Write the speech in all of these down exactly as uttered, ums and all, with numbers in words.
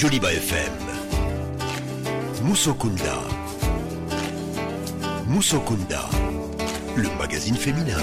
Joliba F M. Musokunda. Musokunda, le magazine féminin.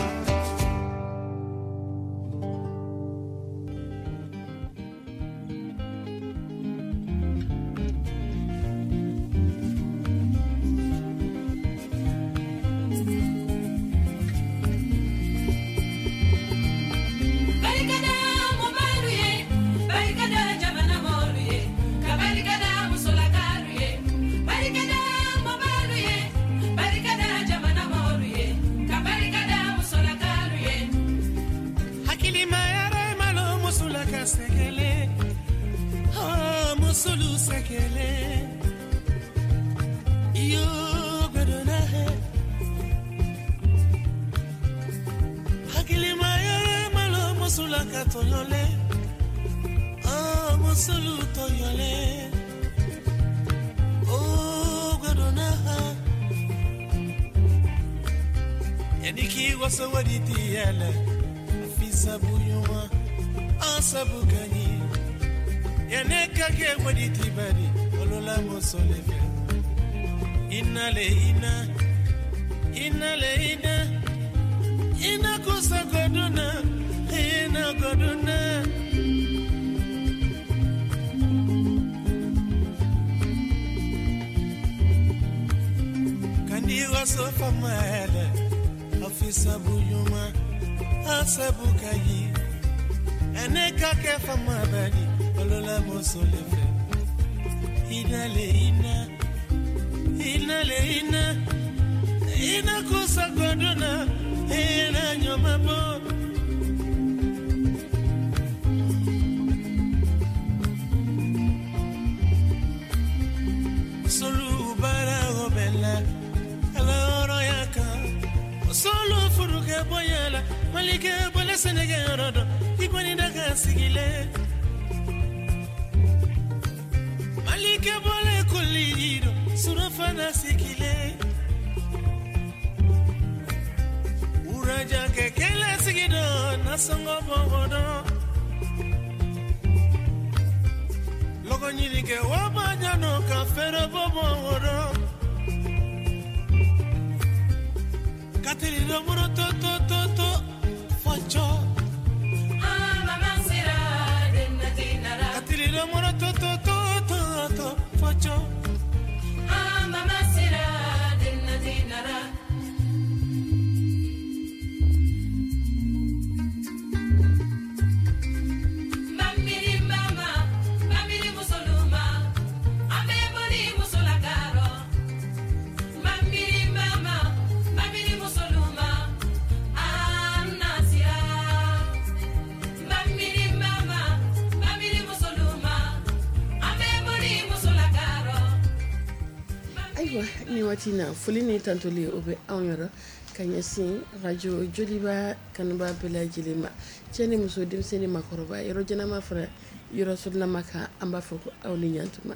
Ni waati na foli ni tantoli o bɛ anw yɔrɔ ka ɲɛsin radio Joliba kanuba bɛɛ lajɛlen ma, cɛ ni muso, denmisɛnnin, maakɔrɔba, yɔrɔ jɛnama fara yɔrɔ surunama kan, an b'a fɔ ko aw ni ɲantuma.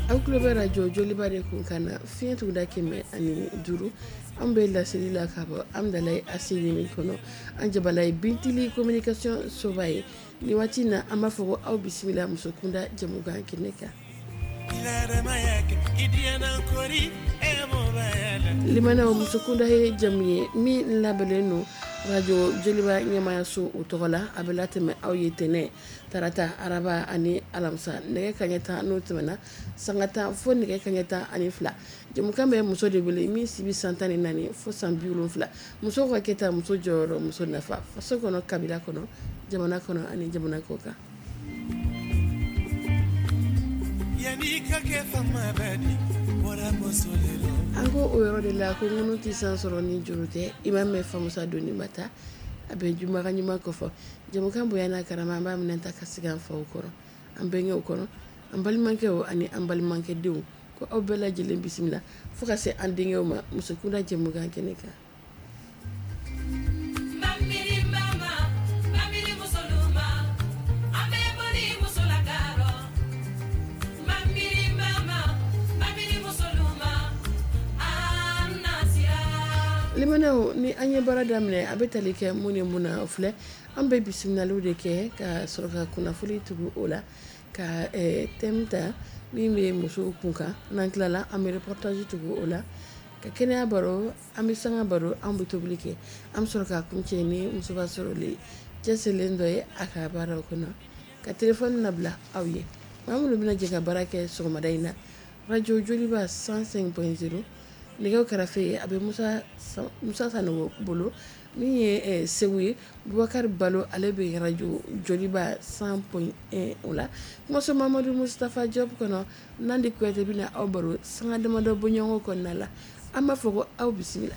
Aw tulo bɛ radio Joliba de kun kan na fiɲɛ tuguda kɛmɛ ani duuru. An bɛ laseli la ka bɔ Amdalayi A C min kɔnɔ, an jabala ye Bintili communication soba ye. Ni waati na an b'a fɔ ko aw bisimila musokunda jɛmukan kɛnɛ kan. Limanaw, musokunda ye jamu ye min labɛnnen don radio Joliba ɲɛmayaso o tɔgɔ la. A bɛ latɛmɛ aw ye tɛnɛ, tarata, araba ani alamisa nɛgɛ kaɲɛ tan n'o tɛmɛna sanga tan fo nɛgɛ kaɲɛ tan ani fila. Jamukan bɛ muso de wele min si bɛ san tan ni naani fo san bi wolonfila. Muso ka kɛta, muso jɔyɔrɔ, muso nafa faso kɔnɔ, kabila kɔnɔ, jamana kɔnɔ ani jamana kɔ kan. An ko o yɔrɔ de la ko ŋunu tɛ san sɔrɔ ni juru tɛ. I m'a mɛn famusa donni ma taa a bɛ jumaga ɲuman kɔfɔ. Jamukan bonya n'a karama, an b'a minɛ ta ka sigi an faw kɔrɔ, an bɛnkɛw kɔrɔ, an balimakɛw ani an balimakɛdenw, ko aw bɛɛ lajɛlen bisimila fo ka se an denkɛw ma musokunda jɛmukan kɛnɛ kan. Ah. Limanaw, ni an ye baara daminɛ, a bɛ tali kɛ mun ni mun na? O filɛ: an bɛ bisimilaliw de kɛ ka sɔrɔ ka kunnafoni tugu o la, ka thème ta min bɛ musow kun kan. N'an tilala, an bɛ reportage tugu o la, ka kɛnɛya baro, an bɛ sanga baro, an bɛ tobili kɛ, an bɛ sɔrɔ ka kuncɛ ni musoba sɔrɔlen cɛsirilen dɔ ye a ka baaraw kɔnɔ, ka téléphone labila aw ye. Maa minnu bɛna jɛ ka baara kɛ sɔgɔmada in na, radio Joliba cent cinq point zéro, nɛgɛw kɛrɛfɛ a bɛ Musa Musa Sanogo bolo. Min ye Segu ye, Bubakari Balo, ale bɛ radio Joliba cent point un o la. Kumaso Mamadu Mustafa Diop kɔnɔ, Nandi Kuyate bɛna aw baro sanga damadɔ bɔɲɔgɔnko kɔnɔna la. An b'a fɔ ko aw bisimila.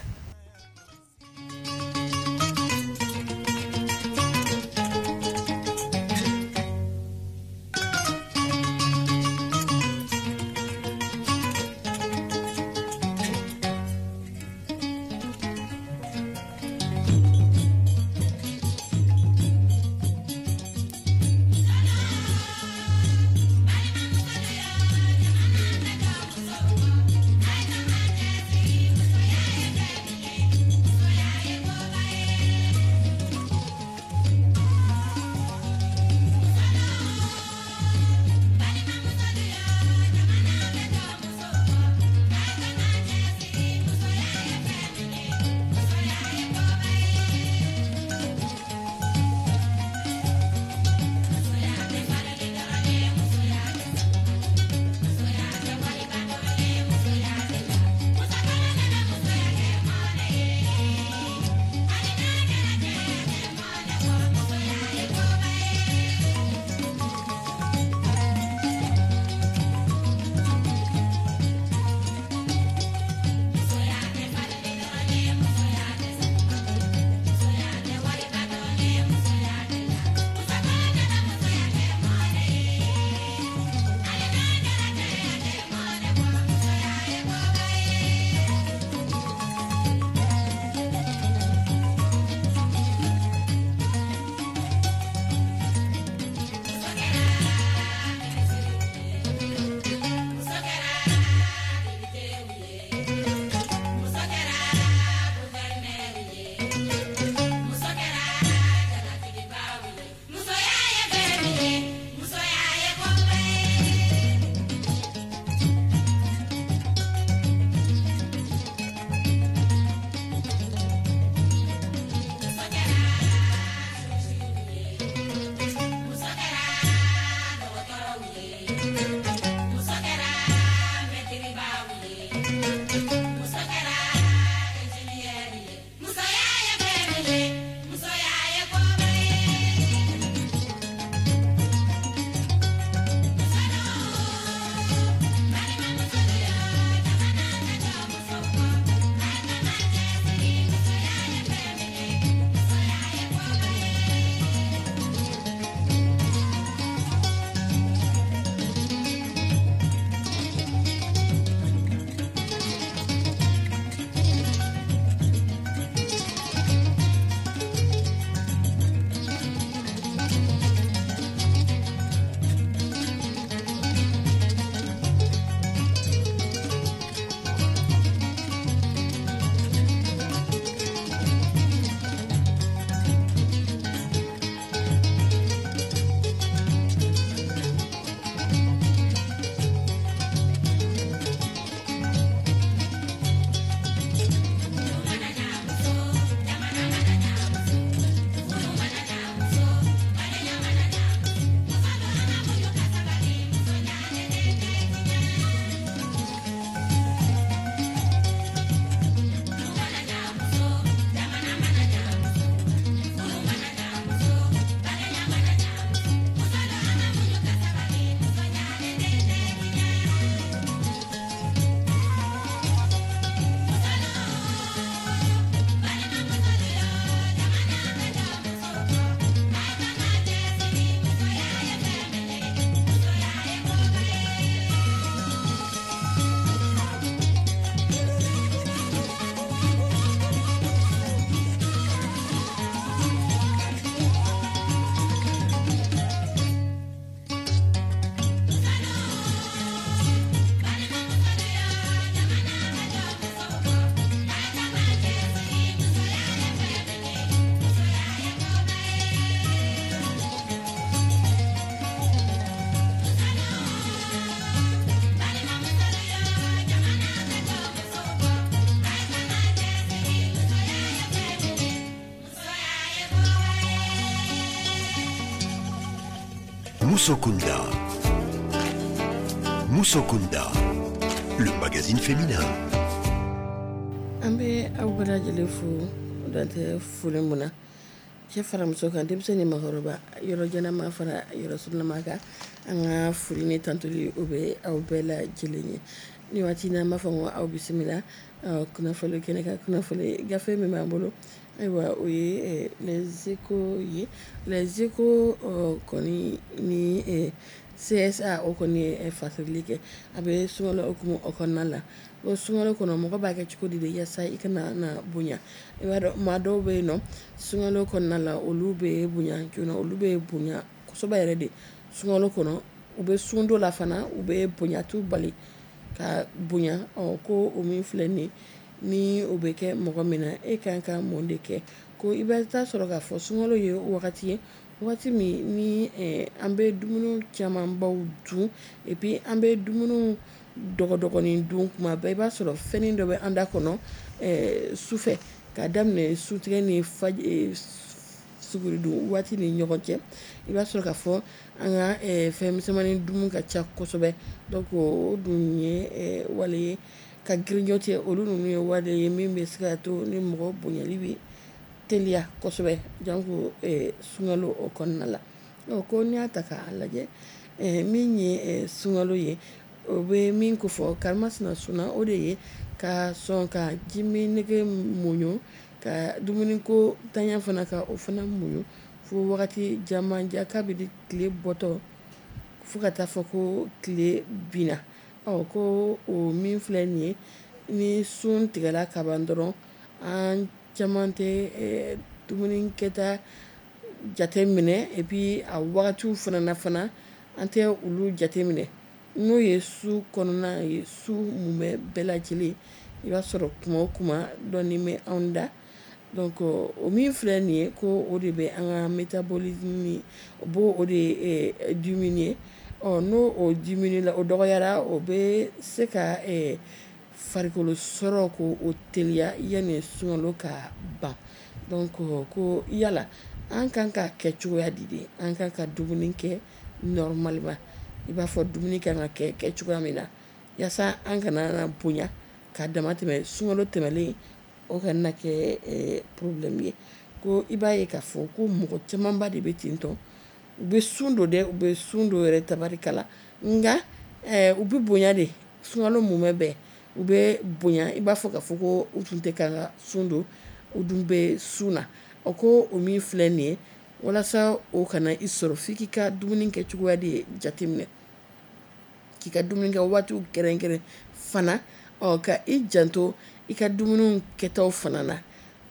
Musokunda. Musokunda, le magazine féminin. An bɛ aw bɛɛ lajɛlen fo dan tɛ foli mun na, cɛ fara muso kan, denmisɛnnin ni maakɔrɔba, yɔrɔ janma fara yɔrɔ surunma kan, an ka foli ni tantuli o bɛ aw bɛɛ lajɛlen ye. Ni waati n'an b'a fɔ ko aw bisimila kunnafoni kɛnɛ kan. Kunnafoni gafe min b'an bolo, ayiwa, o ye Les Échos ye. Les Échos kɔni ni C S A, o kɔni ye fasirili kɛ. A bɛ sunkalo hukumu o kɔnɔna la. O sunkalo kɔnɔ, mɔgɔ b'a kɛ cogo di de yaasa i kana na bonya? I b'a dɔn, maa dɔw bɛ yen nɔ, sunkalo kɔnɔna la, olu bɛ bonya joona, olu bɛ bonya kosɛbɛ yɛrɛ de sunkalo kɔnɔ. U bɛ sun dɔ la fana, u bɛ bonya, t'u bali ka bonya. Ɔ ko o min filɛ nin ye, ni o bɛ kɛ mɔgɔ min na, e kan ka mun de kɛ? Ko i bɛ taa sɔrɔ k'a fɔ sunkalo ye wagati ye, waati min ni an bɛ dumuni camanbaw dun, et puis an bɛ dumuni dɔgɔdɔgɔnin dun kuma bɛɛ. I b'a sɔrɔ fɛnnin dɔ bɛ an da kɔnɔ sufɛ, k'a daminɛ sutigɛ ni suguridun waati ni ɲɔgɔn cɛ. I b'a sɔrɔ k'a fɔ an ka fɛn misɛnmanin dun ka ca kosɛbɛ. Donc o dun ye wale ye ka grignoter. Olu ninnu ye wale ye min bɛ se ka to ni mɔgɔ bonyali bɛ teliya kosɛbɛ, janko sunkalo o kɔnɔna la. Ko n'i y'a ta k'a lajɛ, min ye sunkalo ye, o bɛ min ko fɔ karimasina sunna, o de ye ka sɔn ka jimi nege muɲu, ka dumuniko tanya fana, ka o fana muɲu fo wagati jamanjan, kabini tile bɔtɔ fo ka taa fɔ ko tile binna. Ɔ ko o min filɛ nin ye, ni sun tigɛla ka ban dɔrɔn, an caman tɛ dumuni kɛta jate minɛ, et puis a wagatiw fana na fana, an tɛ olu jate minɛ, n'o ye su kɔnɔna ye. Su mumɛ bɛɛ lajɛlen, i b'a sɔrɔ kuma o kuma dɔɔnin bɛ anw da. Donc o min filɛ nin ye, ko o de bɛ an ka métabolisme, o b'o o de diminuer. Ɔ n'o o diminuer la, o dɔgɔyara, o bɛ se ka farikolo sɔrɔ ko o teliya yanni sunkalo ka ban. Donc ko yala an kan ka kɛ cogoya di de? An kan ka dumuni kɛ normalement, i b'a fɔ dumuni kan ka kɛ kɛ cogoya min na, yaasa an kana na bonya ka dama tɛmɛ sunkalo tɛmɛlen, o kana kɛ problème ye. Ko i b'a ye k'a fɔ ko mɔgɔ camanba de bɛ ten tɔ, u bɛ sun don dɛ, u bɛ sun don yɛrɛ tabarikala, nka u bɛ bonya de. Sunkalo mumɛ bɛɛ, u bɛ bonya, i b'a fɔ k'a fɔ ko u tun tɛ kan ka sun don, u dun bɛ sun na. O ko o min filɛ nin ye, walasa o kana i sɔrɔ, f'i k'i ka dumuni kɛ cogoya de jateminɛ, k'i ka dumuni kɛ waatiw kɛrɛnkɛrɛn fana, ɔ ka i janto i ka dumuni kɛtaw fana na,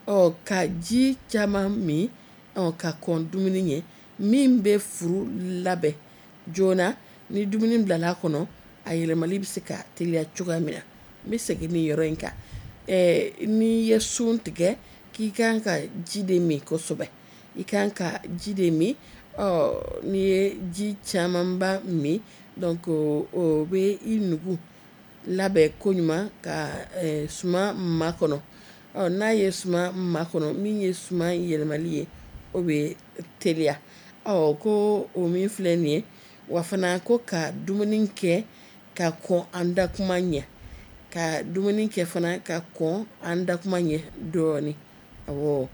ɔ ka ji caman min, ɔ ka kɔn dumuni ɲɛ, min bɛ furu labɛn joona. Ni dumuni bilala a kɔnɔ, a yɛlɛmali bɛ se ka teliya cogoya min na. N bɛ segin nin yɔrɔ in kan. Ɛɛ n'i ye sun tigɛ, k'i kan ka ji de min kosɛbɛ, i kan ka ji de min. Ɔ n'i ye ji camanba min, donc o bɛ i nugu labɛn koɲuman ka suma makɔnɔ. Ɔ n'a ye suma makɔnɔ, min ye suma yɛlɛmali ye, o bɛ teliya. Ɔ ko o min filɛ nin ye wa fana, ko ka dumuni kɛ ka kɔn an da kuma ɲɛ, ka dumuni kɛ fana ka kɔn an da kuma ɲɛ dɔɔnin. Awɔ,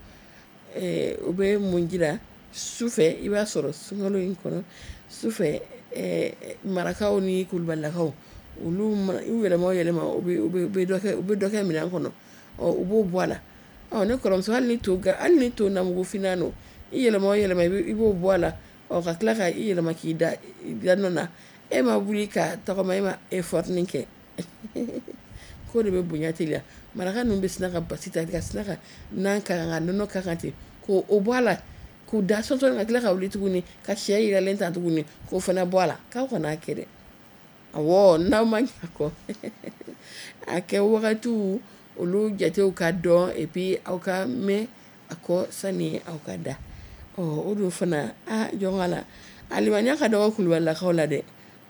o bɛ mun jira? Sufɛ, i b'a sɔrɔ sunkalo in kɔnɔ, sufɛ, marakaw ni kulubalilakaw, olu u yɛlɛma o yɛlɛma, u bɛ dɔ kɛ u bɛ dɔ kɛ minɛn kɔnɔ. Ɔ u b'o bɔ a la. Ɔ ne kɔrɔmuso, hali ni to hali ni to namugufinna don, i yɛlɛma o yɛlɛma, i b'o bɔ a la. Ɔ ka tila ka i yɛlɛma k'i da da nɔ na, e ma wuli ka tagama, e ma effort kɛ, k'o de bɛ bonya teliya. Maraka ninnu bɛ sina ka basi ta, ka sina ka nan k'a kan, ka nɔnɔ k'a kan ten, k'o bɔ a la, k'u da sɔsɔ, ka tila ka wuli tuguni ka sɛ yiralen ta tuguni k'o fana bɔ a la. K'aw kana kɛ dɛ. Awɔ, n'aw ma ɲa kɔ, a kɛ wagatiw olu jatew ka dɔn, et puis aw ka mɛn a kɔ sani aw ka da. Ɔ o dun fana, a jɔn la a limaniya ka dɔgɔ kulubalilakaw la dɛ,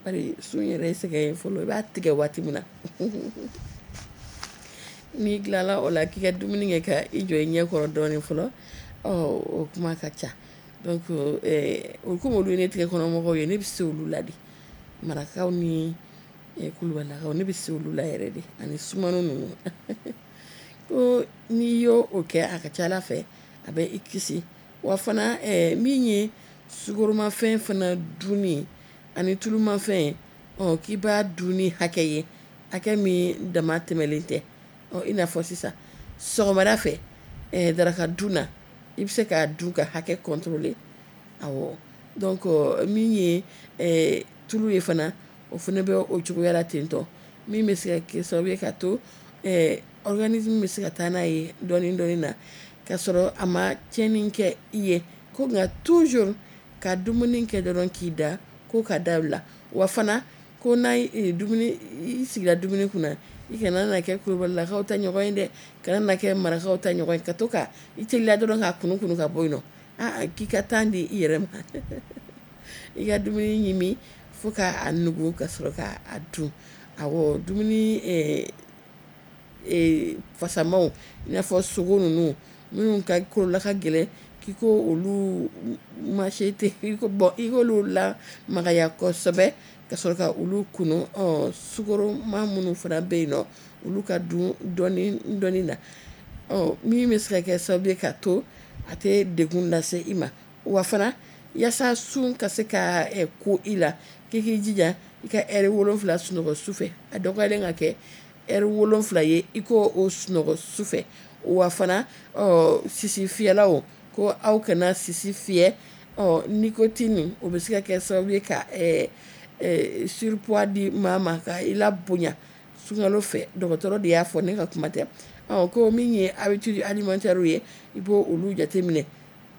bari sun yɛrɛ ye sɛgɛn ye fɔlɔ. I b'a tigɛ waati min na, n'i tilala o la, k'i ka dumuni kɛ, ka i jɔ i ɲɛ kɔrɔ dɔɔnin fɔlɔ. Ɔ o kuma ka ca. Donc o komi olu ye ne tigɛ kɔnɔmɔgɔw ye, ne bɛ se olu la de. Marakaw ni kulubalilakaw, ne bɛ se olu la yɛrɛ de, ani sumano ninnu. Ko n'i y'o o kɛ, a ka ca Ala fɛ a bɛ i kisi. Wa fana min ye sukoromafɛn fana dunni ani tulumafɛn, ɔ k'i b'a dun ni hakɛ ye, hakɛ min dama tɛmɛlen tɛ. Ɔ i n'a fɔ sisan sɔgɔmada fɛ daraka dun na, i bɛ se k'a dun ka hakɛ contrôler. Awɔ, donc min ye tulu ye fana, o fana bɛ o cogoya la ten tɔ, min bɛ se ka kɛ sababu ye ka to organisme bɛ se ka taa n'a ye dɔɔni dɔɔni na, k'a sɔrɔ a ma tiɲɛni kɛ i ye. Ko nka toujours ka dumuni kɛ dɔrɔn k'i da, ko ka dabila. Wa fana ko n'a ye dumuni, i sigira dumuni kunna, i kana na kɛ kulubalilakaw ta ɲɔgɔn ye dɛ, kana na kɛ marakaw ta ɲɔgɔn ye, ka to ka i teliya dɔrɔn k'a kunu kunu ka bɔ yen nɔ. Aa, k'i ka temps di i yɛrɛ ma, i ka dumuni ɲimi fo k'a nugu ka sɔrɔ k'a dun. Awɔ, dumuni fasamaw, i n'a fɔ sogo ninnu minnu ka kolola ka gɛlɛn, k'i ko olu marché tɛ, i ko bɔn i k'olu la magaya kosɛbɛ ka sɔrɔ ka olu kunu. Ɔ sukoroma minnu fana bɛ yen nɔ, olu ka dun dɔɔni dɔɔni na. Ɔ min bɛ se ka kɛ sababu ye ka to a tɛ degun lase i ma. Wa fana yaasa sun ka se ka ko i la, k'i k'i jija i ka ɛri wolonfila sunɔgɔ su fɛ. A dɔgɔyalen ka kɛ ɛri wolonfila ye, i k'o o sunɔgɔ su fɛ. Wa fana ɔ sisi fiyɛlaw, ko aw kana sisi fiyɛ. Ɔ nicotine, o bɛ se ka kɛ sababu ye ka surpoids di maa ma, ka i la bonya sunkalo fɛ. Dɔgɔtɔrɔ de y'a fɔ, ne ka kuma tɛ. Ɔ ko min ye habitude alimentaire ye, i b'o olu jateminɛ,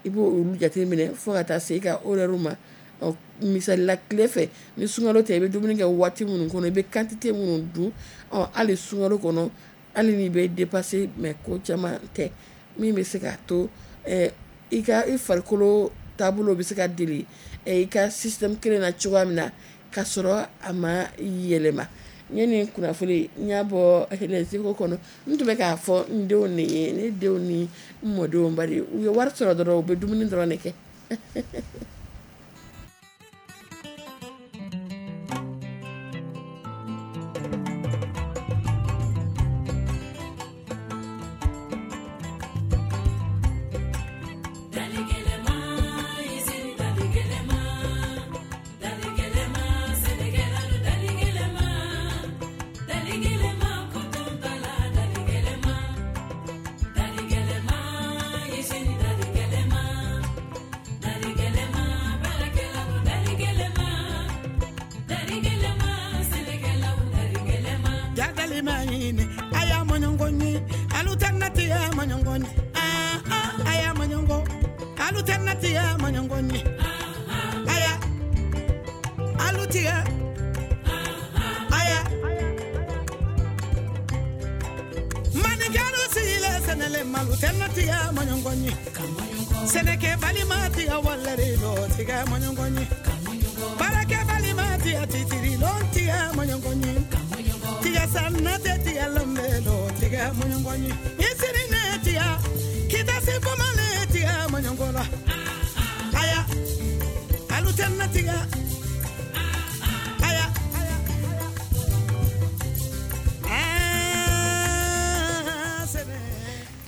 i b'o olu jateminɛ fo ka taa se i ka horaire ma. Ɔ misali la, tile fɛ ni sunkalo tɛ, i bɛ dumuni kɛ waati minnu kɔnɔ, i bɛ quantité minnu dun. Ɔ hali sunkalo kɔnɔ, hali n'i bɛ dépasser, mais ko caman tɛ min bɛ se k'a to i ka i farikolo taabolo bɛ se ka deli i ka système kelen na cogoya min na, k'a sɔrɔ a ma yɛlɛma. N ye nin kunnafoni, n y'a bɔ Les Échos kɔnɔ. N tun bɛ k'a fɔ n denw de ye, ne denw ni n mɔdenw, bari u ye wari sɔrɔ dɔrɔn, u bɛ dumuni dɔrɔn de kɛ.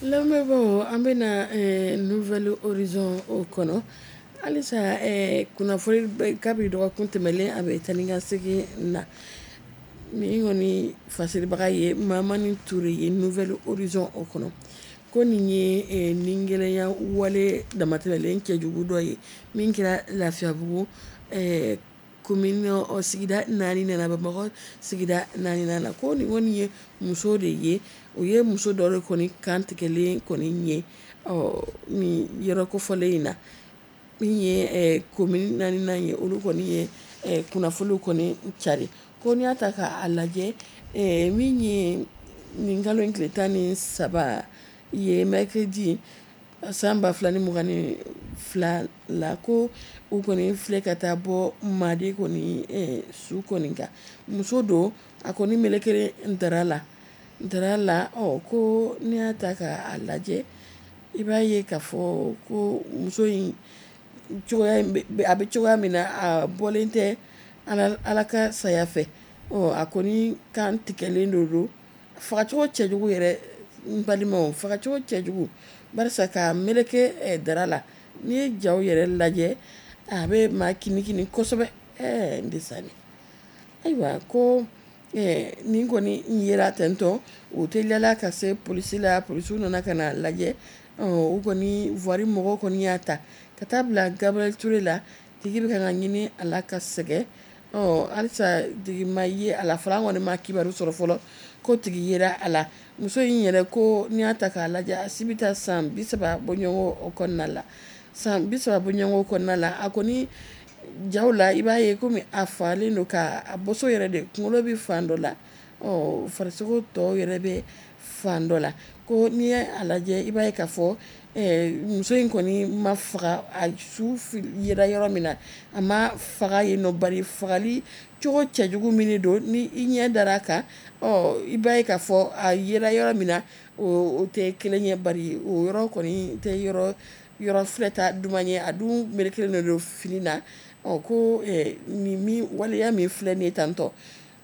Lamɛnbaaw, an bɛna Nouvel Horizon o kɔnɔ halisa. Kunnafoni kabi dɔgɔkun tɛmɛlen, a bɛ taa ni ka segin na. Min kɔni fasiribaga ye Mamani Ture ye Nouvel Horizon o kɔnɔ, ko nin ye nin gɛlɛya wale damatɛmɛlen cɛjugu dɔ ye min kɛra Lafiyabugu commune sigida naani nana, Bamakɔ sigida naani na. Ko nin kɔni ye muso de ye, o ye muso dɔ de kɔni kantigɛlen kɔni ye ɔ nin yɔrɔ kofɔlen in na. Min ye commune naani ye, olu kɔni ye kunnafoniw kɔni cari. Ko n'i y'a ta k'a lajɛ, min ye nin kalo in tile tan ni saba ye, mercredi san ba fila ni mugan ni fila la, ko u kɔni filɛ ka taa bɔ Madi kɔni su kɔni kan. Muso don, a kɔni melekelen dara la dara la. Ɔ ko n'i y'a ta k'a lajɛ, i b'a ye k'a fɔ ko muso in cogoya a bɛ cogoya min na, a bɔlen tɛ Ala ka saya fɛ. Ɔ a kɔni kan tigɛlen de don, fagacogo cɛjugu yɛrɛ, n balimaw, fagacogo cɛjugu, barisa k'a meleke dara la. N'i ye jaw yɛrɛ lajɛ, a bɛ maa kinikini kosɛbɛ. Ɛɛ n desani, ayiwa ko nin kɔni yera tentɔ, u teliyala ka se polisi la. Polisiw nana ka na lajɛ. U kɔni voirie mɔgɔw kɔni y'a ta ka taa bila Gabriel Touré la. Tigi bɛ ka ɲini a la ka sɛgɛn. Ɔ halisa tigi ma ye a la fɔlɔ, an kɔni ma kibaru sɔrɔ fɔlɔ ko tigi yera a la. Muso in yɛrɛ ko n'i y'a ta k'a lajɛ, a si bɛ taa san bi saba bɔɲɔgɔn o kɔnɔna la, san bi saba bɔɲɔgɔn kɔnɔna la. A kɔni jaw la, i b'a ye komi a falen don k'a boso yɛrɛ de, kunkolo bɛ fan dɔ la, ɔ farisogo tɔw yɛrɛ bɛ fan dɔ la. Ko n'i ye a lajɛ, i b'a ye k'a fɔ muso in kɔni ma faga, a su yera yɔrɔ min na, a ma faga yen nɔ, bari fagali cogo cɛjugu min don, ni i ɲɛ dara a kan, ɔ i b'a ye k'a fɔ a yera yɔrɔ min na, o tɛ kelen ye, bari o yɔrɔ kɔni tɛ yɔrɔ yɔrɔ filɛta duman ye, a dun melekelen de don fini na. Ɔ ko nin min waleya min filɛ nin ye tantɔ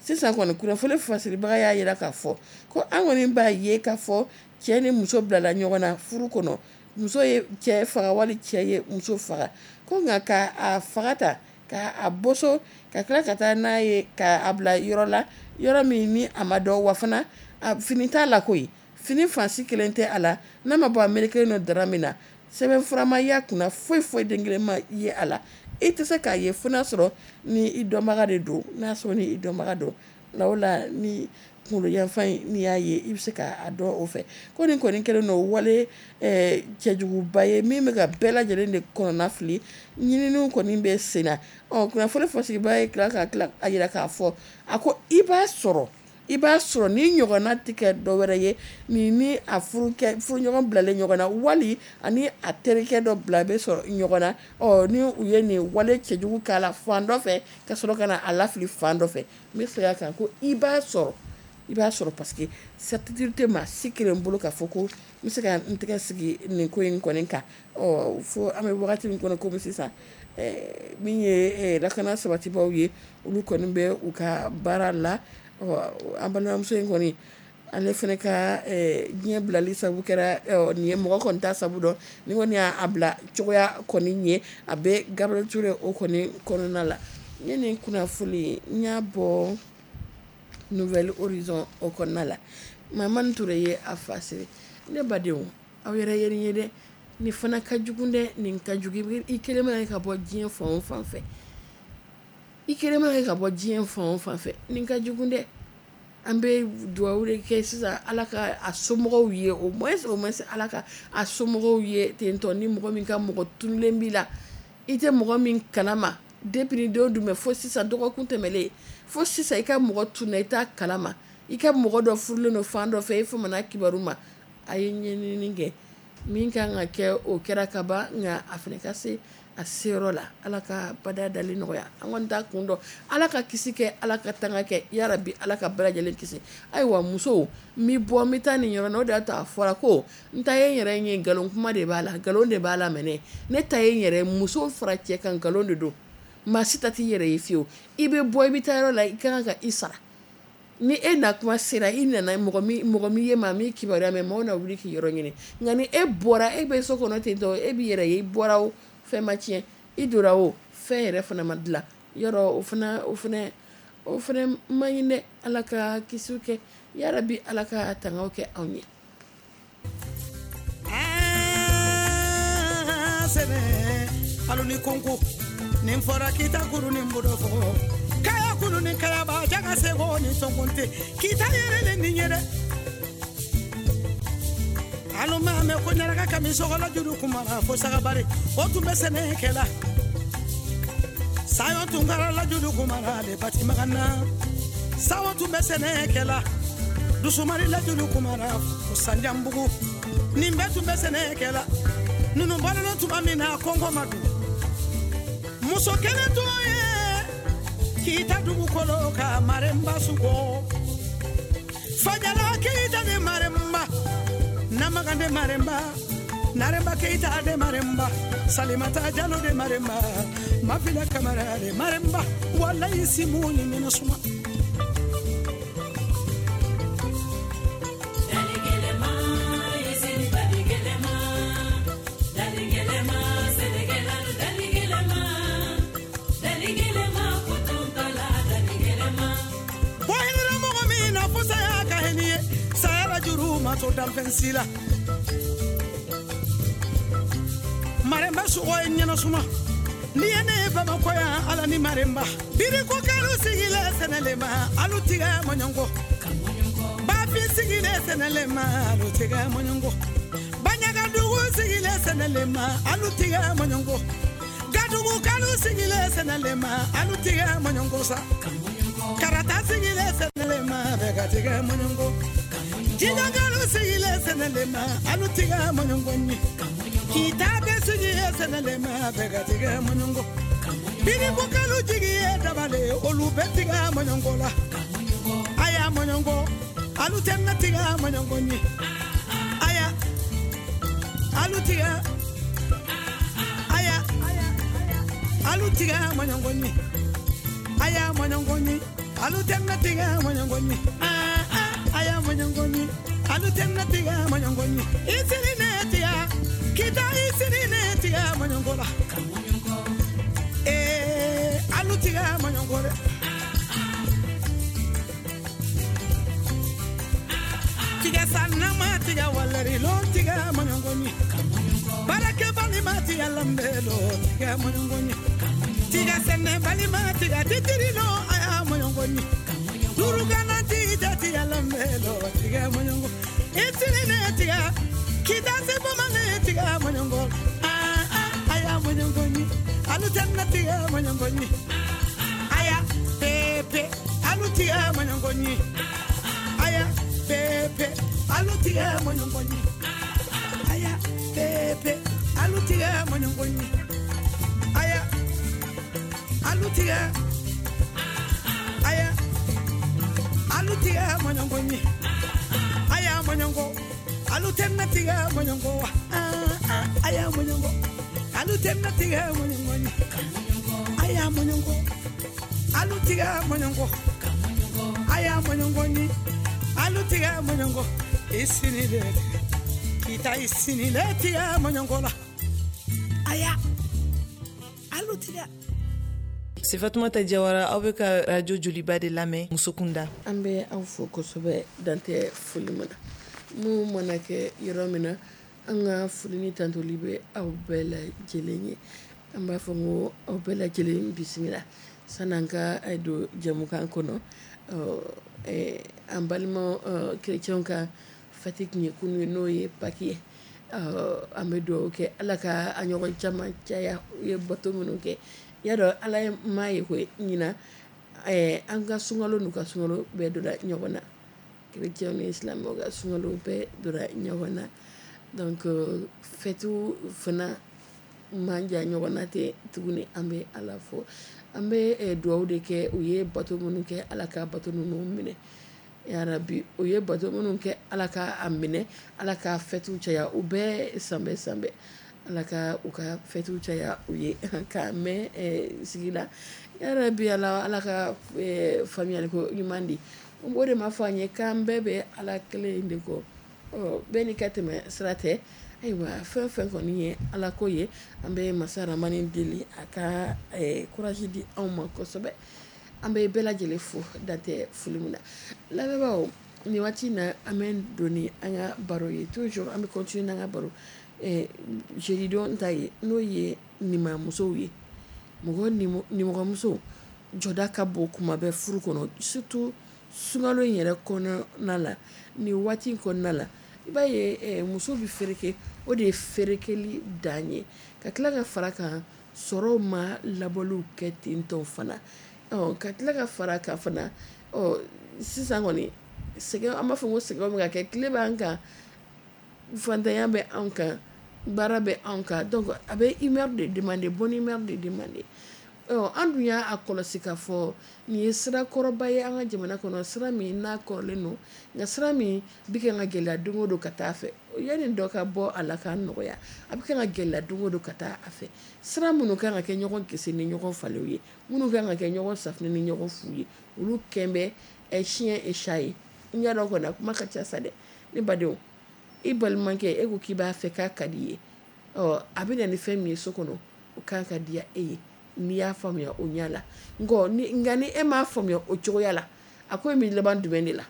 sisan kɔni, kunnafoni fasiribaga y'a jira k'a fɔ ko an kɔni b'a ye k'a fɔ cɛ ni muso bilala ɲɔgɔn na furu kɔnɔ, muso ye cɛ faga wali cɛ ye muso faga, ko nka k'a faga ta k'a boso ka tila ka taa n'a ye k'a bila yɔrɔ la, yɔrɔ min ni a ma dɔn, wa fana a fini t'a la koyi, fini fansi kelen tɛ a la, n'a ma bɔ a melekelen nɔ dara min na, sɛbɛn fura ma y'a kunna, foyi foyi den kelen ma ye a la. I tɛ se k'a ye fo n'a sɔrɔ ni i dɔnbaga de don, n'a sɔrɔ ni i dɔnbaga don la, o la ni kunkolo yanfan in n'i y'a ye, i bɛ se k'a dɔn o fɛ. Ko nin kɔni kɛlen don wale cɛjuguba ye min bɛ ka bɛɛ lajɛlen de kɔnɔna fili, ɲininiw kɔni bɛ sen na. Ɔ kunnafoni fasigiba ye tila ka tila a jira k'a fɔ a ko i b'a sɔrɔ i b'a sɔrɔ ni ɲɔgɔnna tɛ kɛ dɔ wɛrɛ ye, ni ni a furukɛ furuɲɔgɔn bilalen ɲɔgɔn na, wali ani a terikɛ dɔ bila bɛ sɔrɔ ɲɔgɔn na. Ɔ ni u ye nin wale cɛjugu k'a la fan dɔ fɛ ka sɔrɔ ka na a lafili fan dɔ fɛ. N bɛ segin a kan ko i b'a sɔrɔ i b'a sɔrɔ parce que certitude tɛ maa si kelen bolo k'a fɔ ko n bɛ se ka n tɛgɛ sigi nin ko in kɔni kan. Ɔ fo an bɛ wagati min kɔnɔ komi sisan, min ye lakana sabatibaw ye, olu kɔni bɛ u ka baara la. An balimamuso in kɔni, ale fana ka diɲɛ bilali sabu kɛra nin ye, mɔgɔ kɔni t'a sabu dɔn, ni kɔni y'a bila cogoya kɔni ye, a bɛ Gabriel Touré o kɔni kɔnɔna la. N ye nin kunnafoni n y'a bɔ Nouvel Horizon o kɔnɔna la. Mamani Touré ye a fasiri. Ne badenw, aw yɛrɛ ye nin ye dɛ, nin fana ka jugu dɛ, nin ka jugu. I kelen mana ka bɔ diɲɛ fan o fan fɛ, i kelen mana ka bɔ diɲɛ fan o fan fɛ, nin ka jugu dɛ. An bɛ dugawu de kɛ sisan Ala ka a somɔgɔw ye, au moins au moins Ala ka a somɔgɔw ye tentɔ. Ni mɔgɔ min ka mɔgɔ tununnen b'i la, i tɛ mɔgɔ min kalama depuis ni don dun bɛ fo sisan, dɔgɔkun tɛmɛlen fo sisan, i ka mɔgɔ tunna i t'a kalama, i ka mɔgɔ dɔ furulen don fan dɔ fɛ, i famana kibaru ma, a ye ɲɛɲinini kɛ, min kan ka kɛ o kɛra ka ban, nka a fana ka se a seyɔrɔ la. Ala ka bada dali nɔgɔya, an kɔni t'a kun dɔn. Ala ka kisi kɛ, Ala ka tanga kɛ, yarabi Ala ka bɛɛ lajɛlen kisi. Ayiwa musow, n bɛ bɔ n bɛ taa nin yɔrɔ la, o de y'a to a fɔra ko n ta ye n yɛrɛ ye, nkalon kuma de b'a la, nkalon de b'a la mɛnɛ. Ne ta ye n yɛrɛ, muso fara cɛ kan, nkalon de don. Maa si ta t'i yɛrɛ ye fiyewu. I bɛ bɔ i bɛ taa yɔrɔ la, i ka kan ka i sara. Ni e na kuma sera, i nana mɔgɔ min mɔgɔ min ye maa min kibaruya mɛn, maaw na wuli k'i yɔrɔ ɲini. Nka ni e bɔra, e bɛ so kɔnɔ ten tɔ, e b'i yɛrɛ ye, i bɔra o fɛn ma tiɲɛ, i donna o fɛn yɛrɛ fana ma dilan yɔrɔ, o fana o fana o fana man ɲi dɛ. Ala ka kisiw kɛ, yarabi Ala ka tangaw kɛ anw ye. Alo ni konko nin fɔra kita kuru ni bodo fɔ kaya kuru ni kayaba jaga sego ni sɔnkunte kita yɛrɛ le nin ye dɛ. Alo maa mɛn ko ɲaraka kami sɔgɔla juru kumara fo sagabari o tun bɛ sɛnɛ kɛla sayo tun kɛra la juru kumara le bati magana sawo tun bɛ sɛnɛ kɛla dusumari la juru kumara fo sanjanbugu nin bɛɛ tun bɛ sɛnɛ kɛla ninnu balolen tuma min na kɔngɔ ma dun. Muso kelen tun ye k'ita dugukolo ka Maremba sugo Fajala k'ita de Maremba Namagande Maremba Naremba Keita de Maremba, Salimata Jalo de Maremba, Mafila Kamara de Maremba, Wallahi Simuni Minasuma. Sila Maremba sugo nyana suma ni ene baba koya ala ni Maremba biri ko kalu sigile senelema alu tiga monyongo ba fi sigile senelema alu tiga monyongo banyaga dugu sigile senelema alu tiga monyongo gadugu kalu sigile senelema alu tiga monyongo sa karata sigile senelema bega tiga monyongo Jinagalu sigile senelema alu tiga monyongo ni Kitabe sigile senelema bega tiga monyongo Biri bukalu jigiye dabale olu betiga monyongo la Aya monyongo alu tenna tiga monyongo ni Aya alu tiga Aya alu tiga monyongo ni Aya monyongo ni alu tenna tiga monyongo ni Aya monyongoni alu tenna tiga monyongoni isini netia kita isini netia monyongola eh alu tiga monyongore tiga sanama tiga walari lo tiga monyongoni barake bali mati alambelo tiga monyongoni tiga sene bali mati tiga titiri lo aya monyongoni Durugana tiga tiga lamelo tiga monyongo itini ne tiga kita se bomane tiga monyongo ah ah aya monyongo ni alu tenna tiga monyongo ni aya pepe alu tiga monyongo ni aya pepe alu tiga monyongo ni aya pepe alu tiga monyongo ni aya alu tiga aya alu tiga monyongo ni aya monyongo alu tenna tiga monyongo ah ah aya monyongo alu tenna tiga monyongo ni aya monyongo alu tiga monyongo aya monyongo ni alu tiga monyongo isini le kita isini le tiga monyongo la aya alu tiga. C'est Fatoumata Diawara aw bɛ ka radio Joliba de lamɛn muso kunda. An bɛ aw fo kosɛbɛ dantɛ foli min na mun mana kɛ yɔrɔ min na an ka foli ni tantoli bɛ aw bɛɛ lajɛlen ye an b'a fɔ ko aw bɛɛ lajɛlen bisimila san'an ka don jɛmukan kɔnɔ an balima kerecɛnw ka fête tun ye kunun ye n'o ye Pâques ye an bɛ dugawu kɛ Ala ka a ɲɔgɔn caman caya u ye bato minnu kɛ. Y'a dɔn Ala ye maa ye koyi ɲina an ka sunkalo n'u ka sunkalo bɛɛ donna ɲɔgɔn na kerecɛnw ni silamɛw ka sunkalo bɛɛ donna ɲɔgɔn na donc fête fana man jan ɲɔgɔn na ten tuguni an bɛ Ala fo an bɛ dugawu de kɛ u ye bato minnu kɛ Ala ka bato ninnu minɛ yarabi u ye bato minnu kɛ Ala ka a minɛ Ala ka fête caya u bɛɛ sanbɛ sanbɛ Ala ka u ka fɛtiw caya u ye k'a mɛn sigi la yarabi Ala Ala ka faamuyali ko ɲuman di o de ma fɔ an ye k'an bɛɛ bɛ Ala kelen in de kɔ bɛɛ n'i ka tɛmɛ sira tɛ ayiwa fɛn fɛn kɔni ye Ala ko ye an bɛ masa Ramani deli a ka courage di anw ma kosɛbɛ an bɛ bɛɛ lajɛlen fo dantɛ foli min na lamɛnbaaw nin waati in na an bɛ don ni an ka baro ye toujours an bɛ continuer n'an ka baro jeudi don ta ye n'o ye nimamusow ye mɔgɔ nimɔgɔmuso jɔda ka bon kuma bɛɛ furu kɔnɔ surtout sunkalo in yɛrɛ kɔnɔna la nin waati in kɔnɔna la i b'a ye muso bɛ fereke o de ye ferekeli dan ye ka tila ka fara kan sɔrɔw ma labɔliw kɛ ten tɔ fana ka tila ka fara kan fana sisan kɔni sɛgɛn an b'a fɔ ko sɛgɛn bɛ ka kɛ tile b'an kan fantanya bɛ anw kan baara bɛ anw kan donc a bɛ humeur de demander bonne humeur de demander An dun y'a kɔlɔsi k'a fɔ nin ye sira kɔrɔba ye an ka jamana kɔnɔ, sira min n'a kɔrɔlen don, nka sira min bɛ kan ka gɛlɛya don o don ka taa fɛ. Yanni dɔ ka bɔ a la k'a nɔgɔya, a bɛ kan ka gɛlɛya don o don ka taa a fɛ. Sira minnu kan ka kɛ ɲɔgɔn kisi ni ɲɔgɔn falew ye, minnu kan ka kɛ ɲɔgɔn safunɛ ni ɲɔgɔn fu ye, olu kɛn bɛ chien et chat ye. N y'a dɔn kɔni a kuma ka ca sa dɛ, ne badenw, i balimakɛ e ko k'i b'a fɛ k'a ka di i ye, ɔ a bɛ na ni fɛn min ye so kɔnɔ, o kan ka diya e ye n'i y'a faamuya o ɲɛ la. Nka ni e m'a faamuya o cogoya la, a ko in bɛ laban jumɛn de la?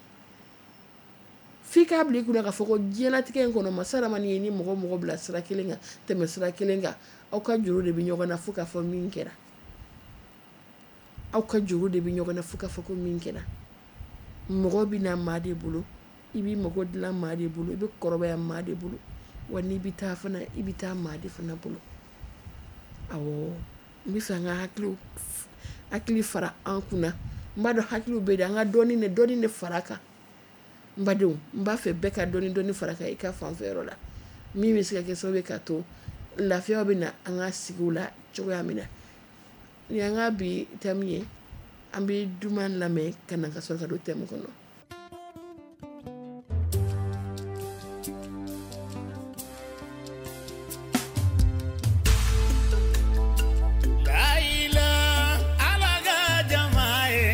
F'i k'a bila i kunna k'a fɔ ko diɲɛlatigɛ in kɔnɔ, masa Ramani ye ni mɔgɔ mɔgɔ bila sira kelen kan, tɛmɛ sira kelen kan, aw ka juru de bɛ ɲɔgɔn na fo k'a fɔ min kɛra. Aw ka juru de bɛ ɲɔgɔn na fo k'a fɔ ko min kɛra. Mɔgɔ bɛ na maa de bolo, i b'i mago dilan maa de bolo, i bɛ kɔrɔbaya maa de bolo, wa n'i bɛ taa fana, i bɛ taa maa de fana bolo. Awɔ, n bɛ fɛ an ka hakiliw hakili fara an kunna. N b'a dɔn hakiliw bɛ yen, an ka dɔɔni de dɔɔni de fara kan. N badenw, n b'a fɛ bɛɛ ka dɔɔni dɔɔni fara kan i ka fanfɛyɔrɔ la, min bɛ se ka kɛ sababu ye k'a to lafiya bɛ na an ka sigiw la cogoya min na. Nin y'an ka bi thème ye, an bɛ duman lamɛn ka na ka sɔrɔ ka don thème kɔnɔ. La ilaha ala ka jama ye.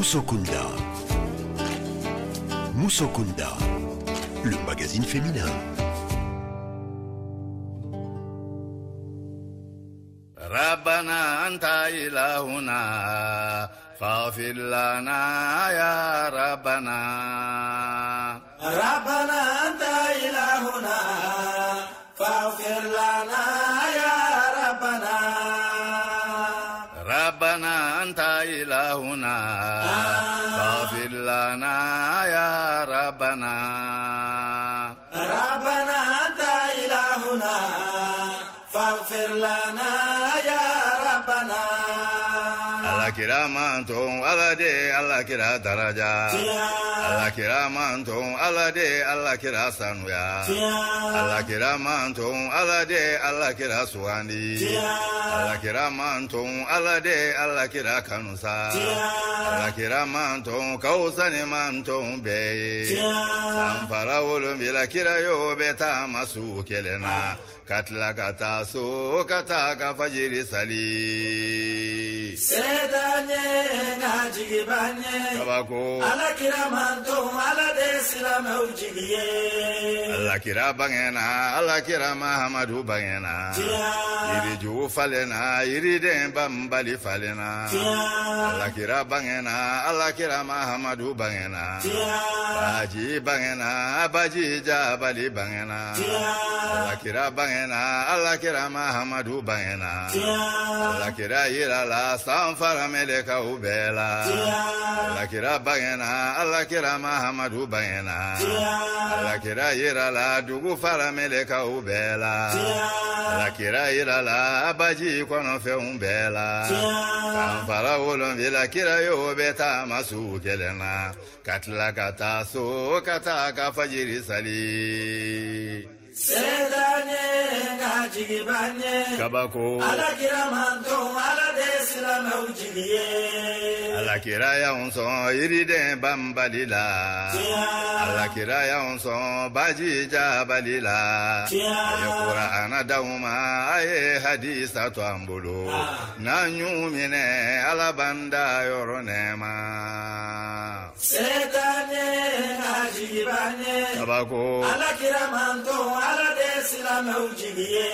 Musokunda. Musokunda, le magazine féminin. ربنا أنت إلهنا فاغفر لنا يا ربنا. ربنا أنت إلهنا فاغفر لنا يا ربنا. ربنا أنت إلهنا فاغفر لنا يا ربنا. ربنا أنت إلهنا فاغفر لنا يا ربنا. Ala kira manton ala de ala kira daraja. Ala kira manton ala de ala kira sanuya. Ala kira manton ala de ala kira sugandi. Ala kira manton ala de ala kira kanusa. Ala kira manton kausa ni manton bɛɛ ye. Sanfara wolonwula kira y'o bɛ taama su kelen na. Ka tila ka taa so ka taa ka fajiri sali. Setan ye nka jigiba ɲɛ. Kabako. Ala kira manton ala de silamɛw jigi ye. Ala kira bangena ala kira Mahamadu bangena. Yirijugu falenna yiriden banbali falenna. Ala kira bangena ala kira Mahamadu bangena. Baji bangena baji jabali bangena. Ala kira bangena ala kira Mahamadu bangena. Ala kira yirala sanfara melekaw bɛɛ la. Ala kira bangena ala kira Mahamadu bangena. Ala kira yirala dugu fara melekaw bɛɛ la. Ala kira yirala baji kɔnɔfɛnw bɛɛ la. Sanfara wolonwula kira y'o bɛ taama su kelen na. Ka tila ka taa so ka taa ka fajiri sali. Setan ye nka jigiba ɲɛ. Kabako. Ala kira manton ala de silamɛw jigi ye. Ala kira y'anw sɔn yiriden banbali la. Ala kira y'anw sɔn baji jabali la. A ye Kurana d'anw ma a ye hadisa to an bolo. N'an y'u minɛ Ala b'an da yɔrɔ nɛɛma. Setan ye nka jigiba ɲɛ. Kabako. Ala kira manton ala de silamɛw jigi ye.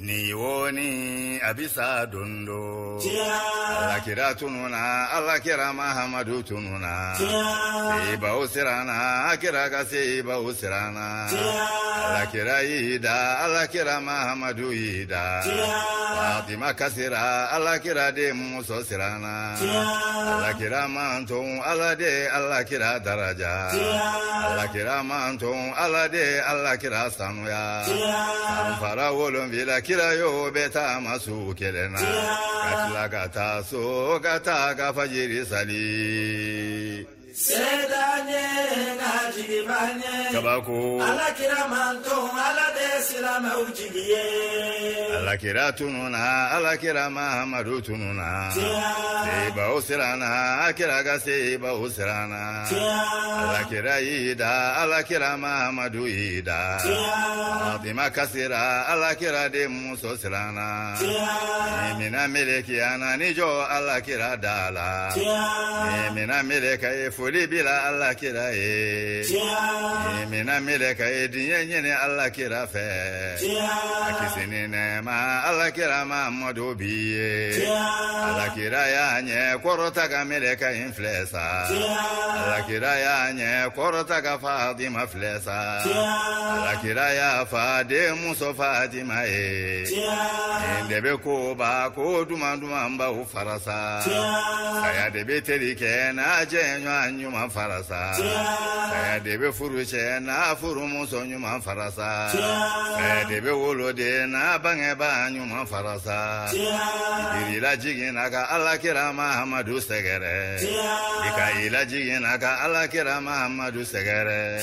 Ni wo ni a bi sa don do. Ala kira tununa ala kira Mahamadu tununa. Sebaw siranna kira ka sebaw siranna. Ala kira y'i da ala kira Mahamadu y'i da. Fatima kasira ala kira den muso siranna. Ala kira manton ala de ala kira daraja. Ala kira manton ala de ala kira sanuya. Sanfara wolonwula kira y'o bɛ taama su kelen na. Ka tila ka taa so ka taa ka fajiri sali. Setan ye nka jigiba ɲɛ. Kabako. Ala kira manton ala de silamɛw jigi ye. Ala kira tununa ala kira Mahamadu tununa. Sebaw siranna kira ka sebaw siranna. Ala kira y'i da ala kira Mahamadu y'i da. Fatima kasira ala kira den muso siranna. Ni mina melekiya na ni jɔ ala kira da la. Ni mina meleka ye foli bila ala kira ye. Ni mina meleka ye diɲɛ ɲini ala kira fɛ. A kisi ni nɛɛma ala kira Mahamadu b'i ye. Ala kira y'a ɲɛ kɔrɔta ka meleka in filɛ sa. Ala kira y'a ɲɛ kɔrɔta ka Fatima filɛ sa. Ala kira y'a fa den muso Fatima ye. Nin de bɛ koba ko duman duman baw farasa. Saya de bɛ teri kɛ n'a jɛ ɲɔgɔn ɲuman farasa. Saya de bɛ furu cɛ n'a furumuso ɲuman farasa. Saya de bɛ woloden n'a bangebaa ɲuman farasa. I lajiginna ka ala kira Mahamadu sɛgɛrɛ. I ka i lajiginna ka ala kira Mahamadu sɛgɛrɛ.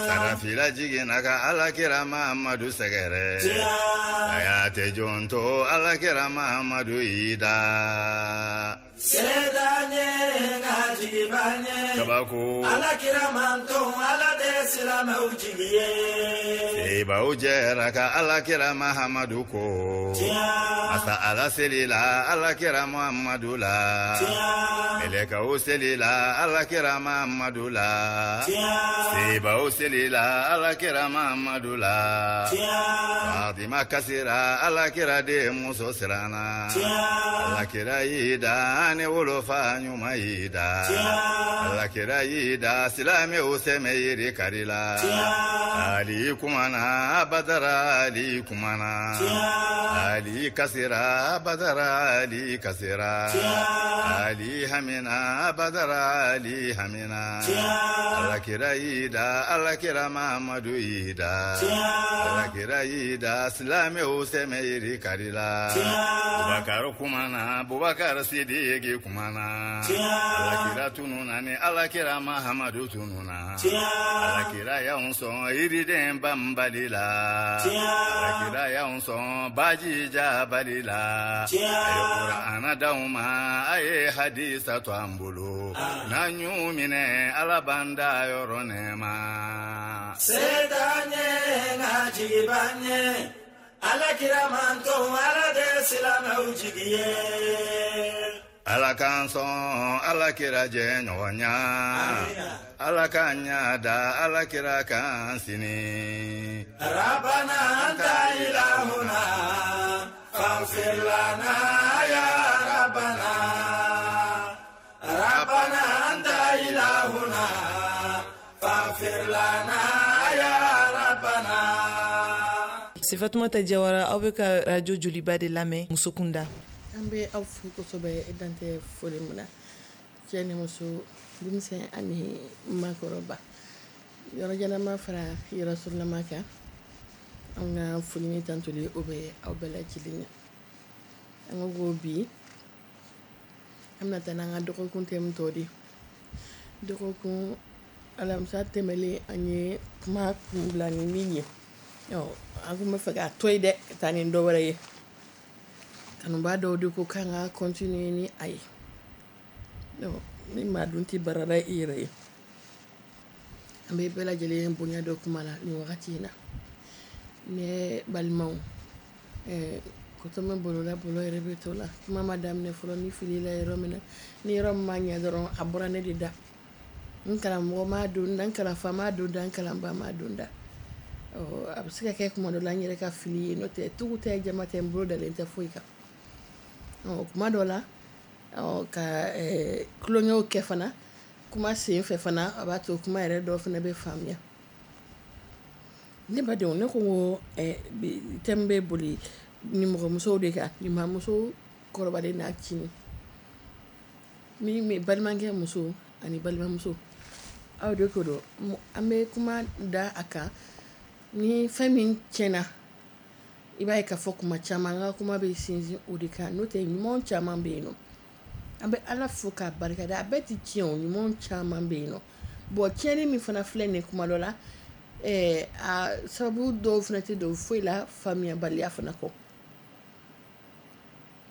Sarafi lajiginna ka ala kira Mahamadu sɛgɛrɛ. Saya tɛ jɔn to ala kira Mahamadu y'i da. Setan ye nka jigi b'an ye. Kabako. Ala kira manton Ala de silamɛw jigi ye. Sebaw jɛra ka Ala kira Mahamadu ko. Tiɲɛ. Masa Ala selila Ala kira Muhamadu la. Tiɲɛ. Mɛlɛkɛw selila Ala kira Mahamadu la. Tiɲɛ. Sebaw selila Ala kira Mahamadu la. Tiɲɛ. Fatima kasira Ala kira den muso siranna. Tiɲɛ. Ala kira y'i da ni wolofa ɲuman y'i da. Tiɲɛ. Ala kira y'i da silamɛw sɛmɛ yiri kari la. Tiɲɛ. Ali kumana Badara Ali kumana. Tiɲɛ. Ali kasira Badara Ali kasira. Tiɲɛ. Ali hamina Badara Ali hamina. Tiɲɛ. Ala kira y'i da Ala kira Mahamadu y'i da. Tiɲɛ. Ala kira y'i da silamɛw sɛmɛ yiri kari la. Tiɲɛ. Bubakar kumana Bubakar Sidiki kumana. Tiɲɛ. Ala kira tununa ni Ala kira Mahamadu tununa. Tiɲɛ. Ala kira y'anw sɔn yiriden banbali la. Tiɲɛ. Ala kira y'anw sɔn baji jabali la. Tiɲɛ. A ye Kurana d'anw ma a ye hadisa to an bolo. N'an y'u minɛ Ala b'an da yɔrɔ nɛɛma. Se t'an ye nka jigi b'an ye. Ala kira manton Ala de silamɛw jigi ye. Ala k'an sɔn Ala kira jɛ ɲɔgɔn ya. Amina. Ala k'an ɲa da Ala kira kan sini. Rabbana anta ilahuna faghfir lana ya Rabbana. Rabbana anta ilahuna faghfir lana ya Rabbana. C'est Fatoumata Diawara, aw bɛ ka radio Joliba de lamɛn muso kunda. An bɛ aw fo kosɛbɛ dan tɛ foli min na, cɛ ni muso, denmisɛn ani maakɔrɔba, yɔrɔ jalama fara yɔrɔ surulama kan. An ka foli ni tantoli o bɛ aw bɛɛ lajɛlen ye. An ko ko bi an bɛna taa n'an ka dɔgɔkun thème tɔ de ye. Dɔgɔkun alamisa tɛmɛlen an ye kuma kun bila ni min ye, ɔ an kun bɛ fɛ k'a to yen dɛ ka taa ni dɔ wɛrɛ ye. Kanubaa dɔw de ko k'an ka continuer ni a ye. Ni maa dun tɛ baara la i yɛrɛ ye. An bɛ bɛɛ lajɛlen bonya dɔ kuma la nin wagati in na. Ne balimaw, ɛɛ kotɔmɛ bolola bolo yɛrɛ bɛ to la. Kuma ma daminɛ fɔlɔ ni fili la yɔrɔ min na, ni yɔrɔ min ma ɲɛ dɔrɔn a bɔra ne de da. N karamɔgɔ m'a don da, n kalanfa m'a don da, n kalanba m'a don da. Ɔ a bɛ se ka kɛ kuma dɔ la n yɛrɛ ka fili ye, n'o tɛ tugu tɛ jama tɛ n bolo dalen tɛ foyi kan. Ɔ kuma dɔ la, ɔ ka ɛɛ tulonkɛw kɛ fana, kuma sen fɛ fana a b'a to kuma yɛrɛ dɔw fana bɛ faamuya. Ne badenw, ne ko ko ɛɛ bi thème bɛ boli nimɔgɔmusow de kan, nimɔgɔmuso kɔrɔbalen n'a cinin. Min bɛ balimakɛ muso ani balimamuso, aw de ko don. An bɛ kuma da a kan ni fɛn min tiɲɛna, i b'a ye k'a fɔ kuma caman an ka kuma bɛ sinsin o de kan. N'o tɛ ɲuman caman bɛ yen nɔ. An bɛ Ala fo k'a barikada, a bɛɛ tɛ tiɲɛ o, ɲuman caman bɛ yen nɔ. Bon tiɲɛni min fana filɛ nin ye kuma dɔ la, ɛɛ a sababu dɔw fana tɛ don foyi la faamuyabaliya fana kɔ.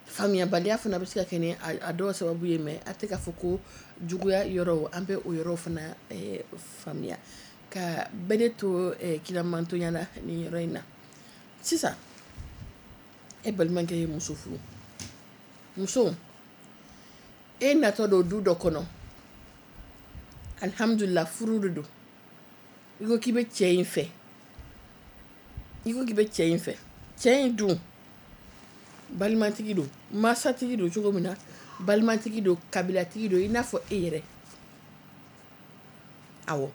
Faamuyabaliya fana bɛ se ka kɛ ni a dɔw sababu ye, mais a tɛ k'a fɔ ko juguya yɔrɔw, an bɛ o yɔrɔw fana ɛɛ faamuya. Ka bɛɛ de to ɛɛ kilamantonya la nin yɔrɔ in na. Sisan e balimakɛ ye muso furu, muso e natɔ don du dɔ kɔnɔ, alihamudulila furu de don. I ko k'i bɛ cɛ in fɛ, i ko k'i bɛ cɛ in fɛ, cɛ in dun balimatigi don, masatigi don cogo min na, balimatigi don, kabilatigi don i n'a fɔ e yɛrɛ. Awɔ,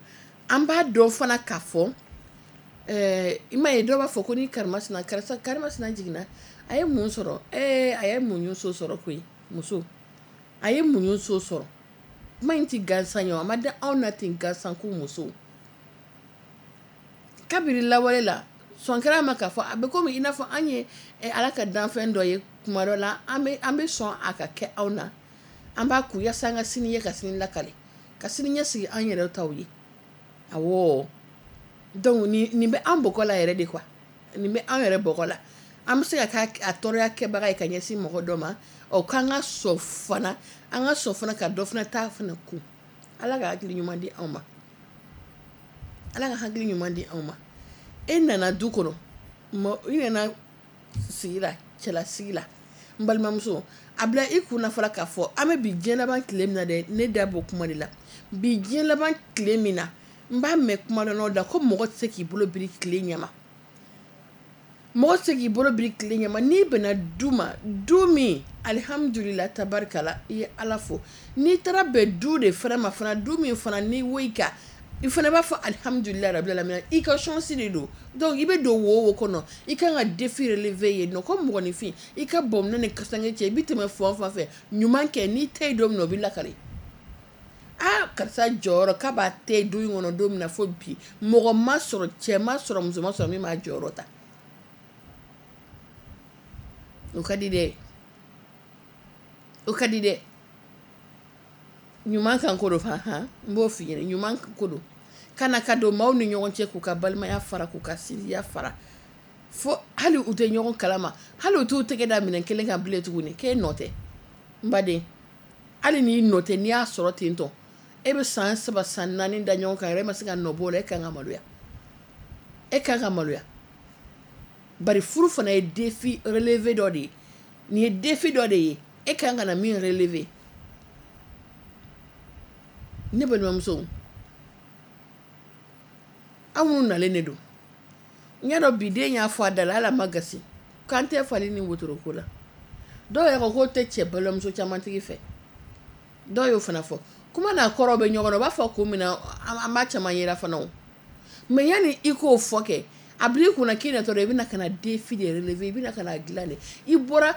an b'a dɔn fana k'a fɔ ɛɛ i m'a ye dɔw b'a fɔ ko ni karimasina karisa karimasina jiginna a ye mun sɔrɔ, ɛɛ a ye muɲu so sɔrɔ koyi, muso a ye muɲu so sɔrɔ. Kuma in ti gansan ye, a ma da anw na ten gansan ko muso. Kabiri lawale la sɔn kɛra a ma k'a fɔ a bɛ komi i n'a fɔ an ye Ala ka danfɛn dɔ ye kuma dɔ la, an bɛ an bɛ sɔn a ka kɛ anw na, an b'a kun yaasa an ka sini ye ka sini lakale, ka sini ɲɛsigi an yɛrɛ taw ye. Awɔ, donc nin nin bɛ an bɔgɔ la yɛrɛ de quoi, nin bɛ an yɛrɛ bɔgɔ la. An bɛ se ka kɛ a tɔɔrɔya kɛbaga ye ka ɲɛsin mɔgɔ dɔ ma, ɔ k'an ka sɔn fana, an ka sɔn fana ka dɔ fana ta fana kun. Ala ka hakili ɲuman di anw ma. Ala ka hakili ɲuman di anw ma. E nana du kɔnɔ, i nana sigi la, cɛlasigi la, n balimamuso, a bila i kun na fɔlɔ k'a fɔ an bɛ bi diɲɛ laban tile min na dɛ, ne da b'o kuma de la. Bi diɲɛ laban tile min na, n b'a mɛn kuma dɔ la ko mɔgɔ tɛ se k'i bolo biri tile ɲɛma. Mɔgɔ tɛ se k'i bolo biri tile ɲɛma. N'i bɛnna du ma, du min alihamudulila tabarikala, i ye Ala fo. N'i taara bɛn du de fana ma fana, du min fana n'i wo i kan, i fana b'a fɔ alihamudulila rabil alamina, i ka chance de don. Donc i bɛ don wo o wo kɔnɔ, i kan ka défi relever yen nɔ. Ko mɔgɔninfin, i ka bɔnminɛ ni kasange cɛ, i bɛ tɛmɛ fan o fan fɛ, ɲuman kɛ, n'i tɛ yen don min na, o bɛ lakale. Aa, karisa jɔyɔrɔ k'a b'a tɛ du in kɔnɔ don min na fo bi, mɔgɔ ma sɔrɔ, cɛ ma sɔrɔ, muso ma sɔrɔ min b'a jɔyɔrɔ ta. O ka di dɛ, o ka di dɛ. Ɲuman kan ko don fa, han, n b'o f'i ɲɛna, ɲuman ko don. Kana ka don maaw ni ɲɔgɔn cɛ k'u ka balimaya fara, k'u ka sinjiya fara, fo hali u tɛ ɲɔgɔn kalama, hali u t'u tɛgɛ da minɛn kelen kan bilen tuguni, k'e nɔ tɛ. N baden, hali n'i nɔ tɛ, n'i y'a sɔrɔ ten tɔ, e bɛ san saba san naani da ɲɔgɔn kan yɛrɛ, e ma se ka nɔ bɔ o la, e kan ka maloya, e kan ka maloya. Bari furu fana ye défi relevé dɔ de ye. Nin ye défi dɔ de ye, e kan ka na min relever. Ne balimamuso, aw minnu nalen de don, n y'a dɔn bi den y'a fɔ a da la, hali a ma gasi k'an tɛ fali ni wotoro ko la. Dɔw yɛrɛ ko k'o tɛ cɛ balimamuso caman tigi fɛ, dɔw y'o fana fɔ. Kuma n'a kɔrɔ bɛ ɲɔgɔn na, u b'a fɔ kun min na, an b'a caman yera fana o. Mais yanni i k'o fɔ kɛ, a bila i kunna k'i natɔ dɔrɔn, i bɛna ka na défi de relever, i bɛna ka na dilan de. I bɔra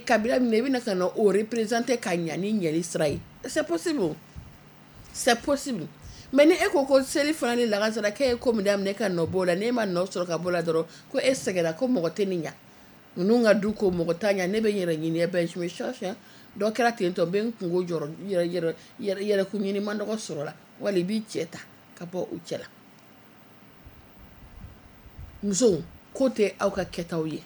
kabila min na, i bɛna ka na o représenter ka ɲa ni ɲɛli sira ye. C'est possible, c'est possible. Mais ni e ko ko seli fana ni lagansara k'e ye ko min daminɛ ka nɔ b'o la, n'e ma nɔ sɔrɔ ka b'o la dɔrɔn, ko e sɛgɛnna, ko mɔgɔ tɛ nin ɲa. Ninnu ka du ko mɔgɔ t'a ɲa, ne bɛ n yɛrɛ ɲini, ben je me cherche. Dɔ kɛra ten tɔ, n bɛ n kungo jɔrɔ, yɛrɛ yɛrɛ yɛrɛ yɛrɛkun ɲini man dɔgɔ sɔrɔ la, wali i b'i cɛ ta ka bɔ u cɛ la. Musow, ko tɛ aw ka kɛtaw ye,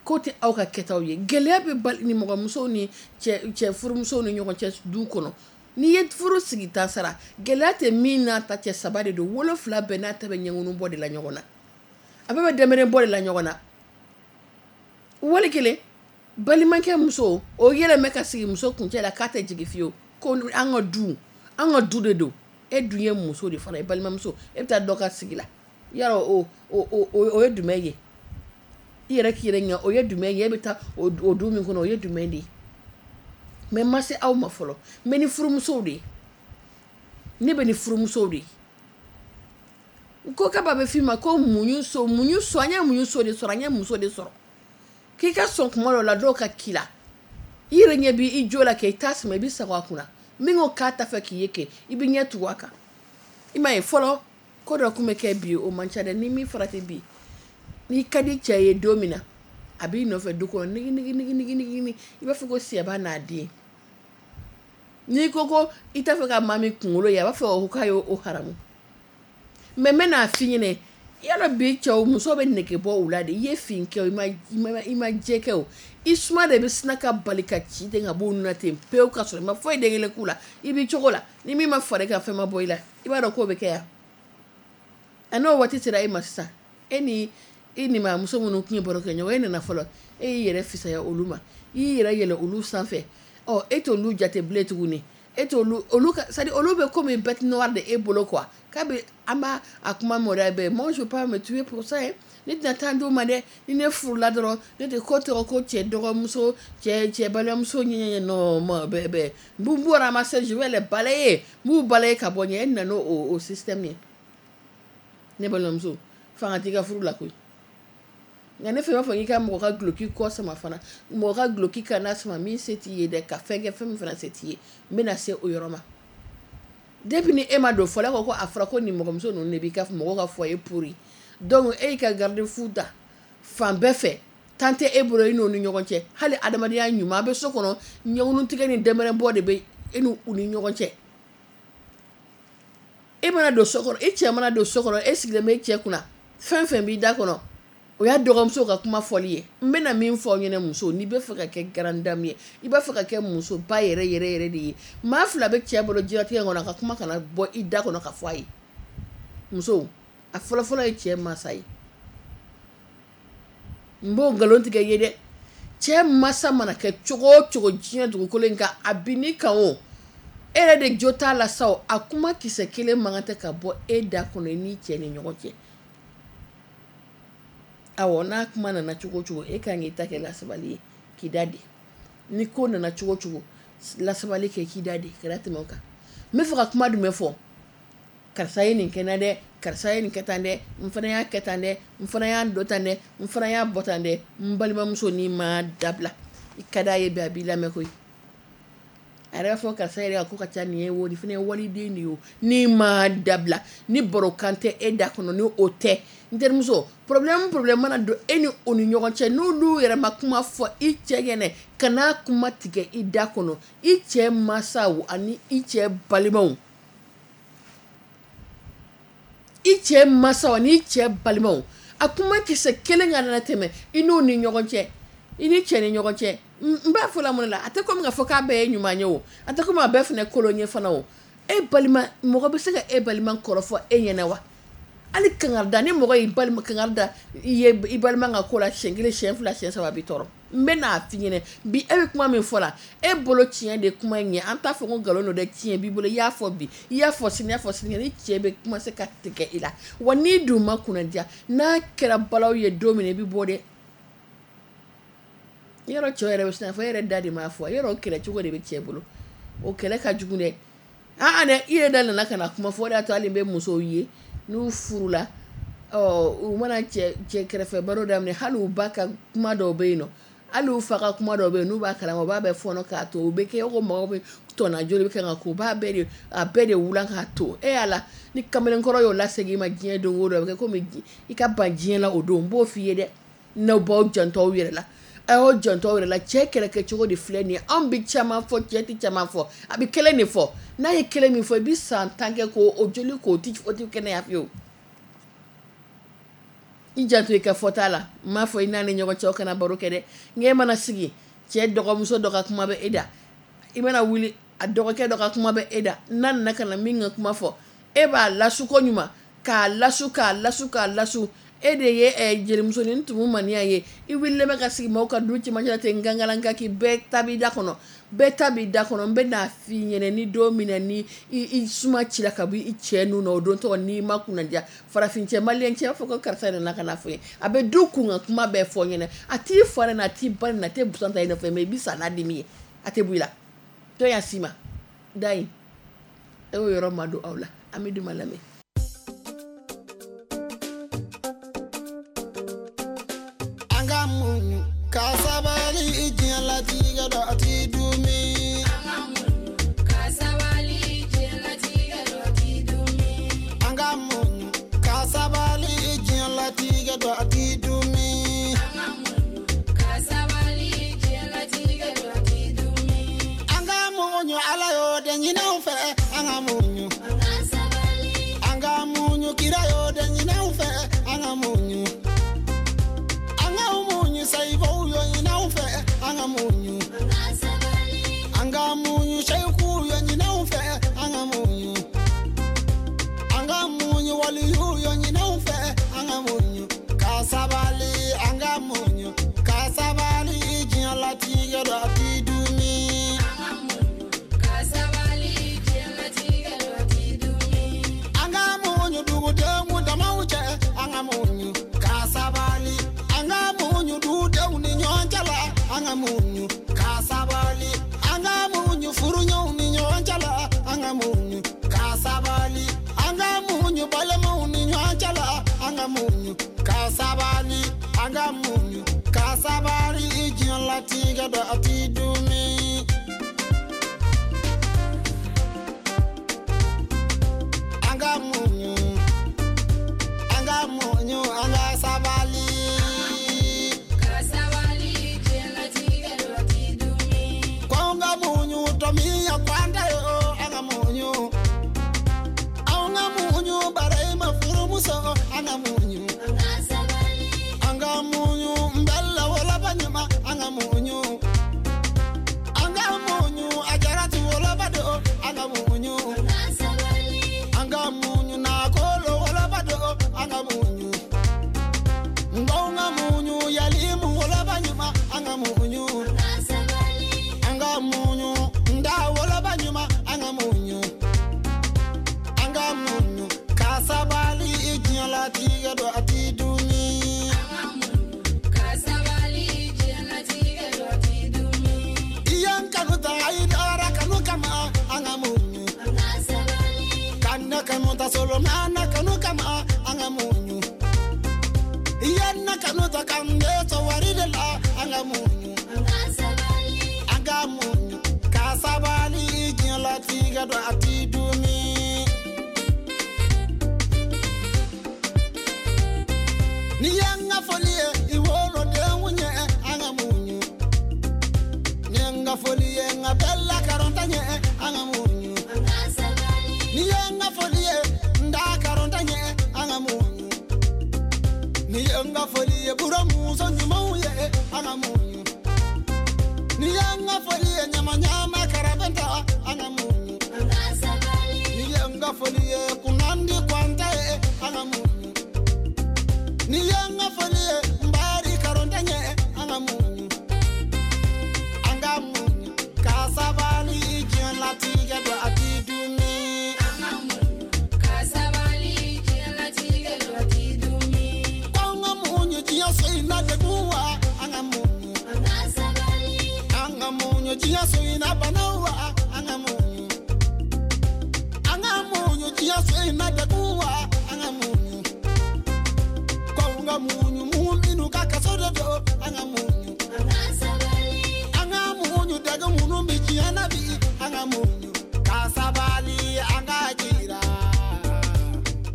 ko tɛ aw ka kɛtaw ye. Gɛlɛya bɛ bali ni mɔgɔmusow ni cɛ cɛ furumusow ni ɲɔgɔn cɛ du kɔnɔ. N'i ye furu sigi ta sara, gɛlɛya tɛ min n'a ta cɛ saba de don, wolonfila bɛɛ n'a ta bɛ ɲɛŋunu bɔ de la ɲɔgɔn na, a bɛɛ bɛ dɛmɛrɛn bɔ de la ɲɔgɔn na. Wali kelen, balimakɛ muso o yɛlɛmɛ ka sigi muso kuncɛ la k'a tɛ jigin fiyewu, ko an ka du, an ka du de don. E dun ye muso de fana ye, balimamuso, e bɛ taa dɔ ka sigi la, yarɔ o o o o ye jumɛn ye? I yɛrɛ k'i yɛrɛ ɲininka, o ye jumɛn ye? E bɛ taa o du min kɔnɔ, o ye jumɛn de ye? Mais ma se aw ma fɔlɔ, n bɛ ni furumusow de ye, ne bɛ ni furumusow de ye. Ko kaba bɛ f'i ma ko muɲu so, muɲu so, an ye muɲu so de sɔrɔ, an ye muso de sɔrɔ. K'i ka sɔn kuma dɔ la, dɔw ka k'i la, i yɛrɛ ɲɛ b'i jo la kɛ, i t'a sama, i bɛ sago a kunna. Min ko k'a ta fɛ k'i ye kɛ, i bɛ ɲɛ tugu a kan. I m'a ye fɔlɔ, ko dɔ tun bɛ kɛ bi, o man ca dɛ. Ni min farati bi, n'i ka di cɛ ye don min na, a b'i nɔfɛ du kɔnɔ nigi nigi nigi nigi nigi, i b'a fɔ ko sɛba n'a den. N'i ko ko i t'a fɛ ka maa min kunkolo ye, a b'a fɔ k'a y'o haramu. Mais n bɛ n'a f'i ɲɛna, yala bi cɛw, muso bɛ nege bɔ u la de. I ye fin kɛ o, i ma i ma jɛ kɛ o, i suma de bɛ sina ka bali ka ci ten ka bɔ u na ten pewu, ka sɔrɔ i ma foyi den kelen k'u la. I b'i cogo la, ni min ma fara i kan, fɛn ma bɔ i la, i b'a dɔn k'o bɛ kɛ yan. A n'o waati sera e ma sisan, e ni i ni maa muso minnu tun ye baro kɛ ɲɔgɔn, e nana fɔlɔ, e y'i yɛrɛ fisaya olu ma, i y'i yɛrɛ yɛlɛ olu sanfɛ. Ɔ, e t'olu jate bilen tuguni, e t'olu olu ka, c'est à dire olu bɛ komi bête noire de e bolo quoi. K'a bɛ an b'a a kuma mɔda bɛɛ, moi je peux pas me tuer pour ça hein. Ne tɛna taa d'o ma dɛ, ni ne furula dɔrɔn, ne tɛ ko tɔgɔ ko cɛ dɔgɔmuso, cɛ cɛ balimamuso ɲɛɲɛ non, ma bɛɛ bɛɛ n b'u b'u ramasser, je vais les balayer, n b'u balayer ka bɔ ɲɛ. E nana o o système ye. Ne balimamuso, fanga t'i ka furu la koyi. Nka ne fɛn b'a fɔ k'i ka mɔgɔ ka duloki kɔ sama fana, mɔgɔ ka duloki kana sama min se t'i ye dɛ, ka fɛn kɛ fɛn min fana se t'i ye. N bɛna se o yɔrɔ ma. Depuis ni e ma don fɔlɔ, e ko ko a fɔra ko nin mɔgɔmuso ninnu de b'i ka mɔgɔw ka foyer pourri. Donc e y'i ka garde-fou da fan bɛɛ fɛ, tan tɛ e bolo i n'o ni ɲɔgɔn cɛ. Hali adamadenya ɲuman, a bɛ so kɔnɔ, ɲɛŋunu tigɛ ni dɛnmɛrɛn bɔ de bɛ e n'u ni ɲɔgɔn cɛ. E mana don so kɔnɔ, e cɛ mana don so kɔnɔ, e sigilen bɛ e cɛ kunna, fɛn fɛn b'i da kɔnɔ, O y'a dɔgɔmuso ka kuma fɔli ye. N bɛna min fɔ aw ɲɛna, muso, n'i bɛ fɛ ka kɛ grande dame ye, i b'a fɛ ka kɛ musoba yɛrɛ yɛrɛ yɛrɛ de ye, maa fila bɛ cɛ bolo diɲɛlatigɛ kɔnɔ, a ka kuma kana bɔ i da kɔnɔ ka fɔ a ye. Muso, a fɔlɔfɔlɔ ye cɛ masa ye. N b'o nkalon tigɛ ye dɛ. Cɛ masa mana kɛ cogo o cogo diɲɛ dugukolo in kan, a bin kan o, e yɛrɛ de jo t'a la sa o, a kuma kisɛ kelen man kan tɛ ka bɔ e da kɔnɔ i n'i cɛ ni ɲɔgɔn cɛ. Awɔ, n'a kuma nana cogo o cogo, e kan k'i ta kɛ lasabali ye k'i da di. Ni ko nana cogo o cogo, lasabali kɛ k'i da di, kana tɛmɛ o kan. N bɛ fɛ ka kuma jumɛn fɔ? Karisa ye nin kɛ n na dɛ, karisa ye nin kɛ tan dɛ, n fana y'a kɛ tan dɛ, n fana y'a dɔ tan dɛ, n fana y'a bɔ tan dɛ. N balimamuso, n'i ma dabila, i ka d'a ye bi, a b'i lamɛn koyi. A yɛrɛ b'a fɔ karisa yɛrɛ ka ko ka ca nin ye o, nin fana ye waliden de ye o. N'i ma dabila, ni barokan tɛ e da kɔnɔ, ni o tɛ, n terimuso, problème problème mana don e ni o ni ɲɔgɔn cɛ, n'olu yɛrɛ ma kuma fɔ i cɛ ɲɛnɛ, kana kuma tigɛ i da kɔnɔ. I cɛ masaw ani i cɛ balimaw, i cɛ masaw ani i cɛ balimaw, a kuma kisɛ kelen ka nana tɛmɛ i n'u ni ɲɔgɔn cɛ, i ni cɛ ni ɲɔgɔn cɛ. N b'a fɔ la mun la, a tɛ komi k'a fɔ k'a bɛɛ ye ɲuman ye o, a tɛ komi a bɛɛ fana kolon ye fana o. E balima, mɔgɔ bɛ se ka e balima kɔrɔfɔ e ɲɛna wa? Hali kangarida, ni mɔgɔ y'i balima kangarida i ye i balima ka ko la siɲɛ kelen, siɲɛ fila, siɲɛ saba, a b'i tɔɔrɔ. N bɛ n'a f'i ɲɛna bi, e bɛ kuma min fɔ la, e bolo tiɲɛ de kuma in ye. An t'a fɔ ko nkalon don dɛ, tiɲɛ b'i bolo. I y'a fɔ bi, i y'a fɔ sini, i y'a fɔ sinikɛnɛ, ni cɛ bɛ kuma se ka tigɛ i la wa. N'i dun ma kunnadiya, n'a kɛra balawu ye don min na, i bɛ bɔ dɛ. Yɔrɔ cɛw yɛrɛ bɛ sin fɔ, e yɛrɛ da de m'a fɔ, yɔrɔ kɛlɛ cogo de bɛ cɛ bolo, o kɛlɛ ka jugu dɛ. Aa dɛ, i yɛrɛ da nana ka na kuma fɔ, o de y'a to hali n bɛ musow ye n'u furula, ɔ u mana cɛ cɛ kɛrɛfɛ baro daminɛ, hali u ba ka kuma dɔw bɛ yen nɔ, hali u fa ka kuma dɔw bɛ yen, n'u b'a kalama, u b'a bɛɛ fɔɔnɔ k'a to, u bɛ kɛ ko mɔgɔw bɛ tɔnna joli bɛ kɛ ka ko, u b'a bɛɛ de a bɛɛ de wulan k'a to. E y'a ni kamalenkɔrɔ y'o lasegin i ma diɲɛ don o don, a bɛ kɛ komi i ka ban diɲɛ la o don. N b'o f'i ye dɛ, n'aw b'aw janto aw yɛrɛ la, a y'aw janto aw yɛrɛ la. Cɛ kɛlɛkɛcogo de filɛ nin ye. Anw bɛ caman fɔ, cɛ tɛ caman fɔ, a bɛ kelen de fɔ. N'a ye kelen min fɔ, i bɛ san tan kɛ k'o o joli k'o ti o ti kɛnɛya fiyewu. I janto i ka fɔta la. N m'a fɔ i n'a ni ɲɔgɔn cɛ aw kana baro kɛ dɛ, nka e mana sigi, cɛ dɔgɔmuso dɔ ka kuma bɛ e da, i mana wuli, a dɔgɔkɛ dɔ ka kuma bɛ e da, n'a nana ka na min ka kuma fɔ, e b'a lasu ko ɲuman, k'a lasu k'a lasu k'a lasu. E de ye eh, jelimusonin tumu maniya ye, i wulilen bɛ ka sigi maaw ka du cɛmancɛ la ten gangalanka, k'i bɛɛ ta b'i da kɔnɔ, bɛɛ ta b'i da kɔnɔ. N bɛ n'a f'i ɲɛna, ni don min na ni i, i suma cila ka bɔ i cɛ nun na, o don tɔgɔ n'i ma kunnadiya, farafin cɛ, maliyɛn cɛ b'a fɔ ko karisa nana ka na fɔ n ye, a bɛ du kun ka kuma bɛɛ fɔ n ɲɛna, a t'i fa nɛni, a t'i ba nɛni, a tɛ busan ta i nɔfɛ, mɛ i bɛ sa n'a dimi ye, a tɛ bɔ i la. Dɔ y'a s'i ma da in, e y'o yɔrɔ ma don aw la. An bɛ duma lamɛn. An ka muɲu ka sabali, diɲɛlatigɛ dɔ a ti dumi. An ka muɲu ka sabali, diɲɛlatigɛ dɔ ti dumi. An ka muɲu ka sabali, diɲɛlatigɛ dɔ a ti dumi. An ka muɲu ka sabali, diɲɛlatigɛ dɔ ti dumi. An ka muɲu, Ala y'o de ɲini anw fɛ. An ka muɲu, An ka sabali, an ka muɲu, kira y'o de ɲini anw fɛ. An ka muɲu, an ka muɲu, sayibaw y'o ɲini anw fɛ. An ka muɲu, an ka sabali, an ka muɲu, seyikuw y'o ɲini anw fɛ. An ka muɲu, an ka muɲu, waliyuw y'o ɲini anw fɛ. An ka muɲu ka sabali, an ka muɲu ka sabali, diɲɛlatigɛ dɔ a ti dumi. An ka muɲu ka sabali, diɲɛlatigɛ dɔ ti dumi. An ka muɲu dugudenw damaw cɛ, an ka muɲu ka sabali, an ka muɲu dudenw ni ɲɔgɔn cɛ la, an ka muɲu ka sabali, an ka muɲu furuɲɔgɔnw ni ɲɔgɔn cɛ la, an ka muɲu ka sabali, an ka muɲu balimaw ni ɲɔgɔn cɛ la, an ka muɲu ka sabali, an ka muɲu ka sabali, diɲɛlatigɛ dɔ a ti dumi. An ka muɲu, an ka muɲu, an ka sabali. Ka sabali, diɲɛlatigɛ dɔ ti dumi. Ko an ka muɲu tɔmiya kwanda yo, an ka muɲu, an ka muɲu bara i ma furumuso, an ka muɲu, An ka sabali, an ka ta solomana kanu kama an ka muɲu i ye na kanu ta k'an bɛ sɔn wari de la an ka muɲu an ka muɲu ka sabali diɲɛlatigɛ dɔn a ti dumi. Ni ye n ka foli ye i wolodenw ɲɛ an ka muɲu ni ye n ka foli ye n ka bɛɛ lakaronta ɲɛ an ka muɲu ni ye n ka foli ye n da karonta ɲɛ an ka muɲu ni ye n ka foli ye buramuso ɲumanw ye an ka muɲu ni ye n ka foli ye ɲama ɲama karabɛnta an ka muɲu ni ye n ka foli ye kunnandi kwanta ye an ka muɲu ni ye n ka foli ye n bari karonta ɲɛ an ka muɲu an ka muɲu ka sabali diɲɛlatigɛ dɔn a ti dumi. Ka sabali diɲɛlatigɛ dɔn a ti dumi. K'an ka muɲu diɲɛ so in na degun wa an ka muɲu an ka muɲu diɲɛ so in na bana wa an ka muɲu an ka muɲu diɲɛ so in na degun wa an ka muɲu k'an ka muɲu mun minnu ka kaso de don an ka muɲu an ka muɲu dɛgɛ minnu bɛ diɲɛ na bi an ka muɲu ka sabali an ka jira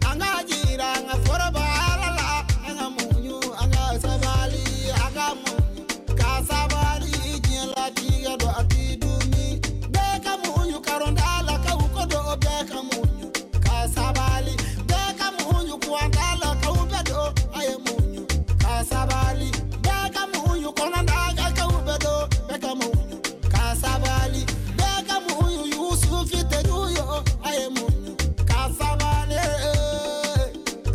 an ka jira an ka foroba Ala la an ka muɲu an ka sabali an ka muɲu ka sabali diɲɛlatigɛ dɔn a ti dumi bɛɛ ka muɲu karonda la k'aw ko don bɛɛ ka muɲu ka sabali bɛɛ ka muɲu kuwanda la k'aw bɛɛ don a ye muɲu ka sabali bɛɛ ka muɲu kɔnɔnda ka k'aw bɛɛ don bɛɛ ka muɲu ka sabali bɛɛ ka muɲu Yusufi teriw ye a ye muɲu ka sabali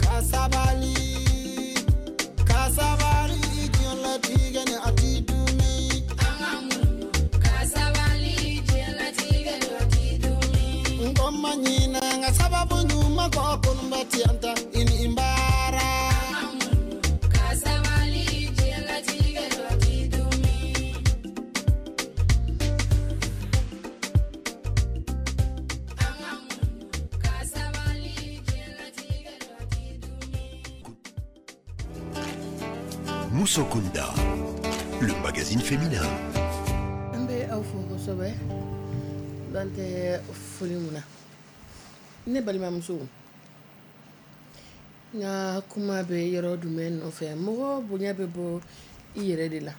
ka sabali ka sabali diɲɛlatigɛ ni a ti dumi. Ka sabali diɲɛlatigɛ dɔn a ti dumi. N ko ma ɲinɛ n ka sababu ɲuman kɔ kolonba tiyanta i ni n baara. Ka sabali diɲɛlatigɛ dɔn a ti dumi. Ka sabali diɲɛlatigɛ dɔn a ti dumi. Moussokunda, le magazine féminin. An bɛ aw fo kosɛbɛ dan tɛ foli mun na ne balimamuso n ka kuma bɛ yɔrɔ jumɛn nɔfɛ mɔgɔ bonya bɛ bɔ i yɛrɛ de la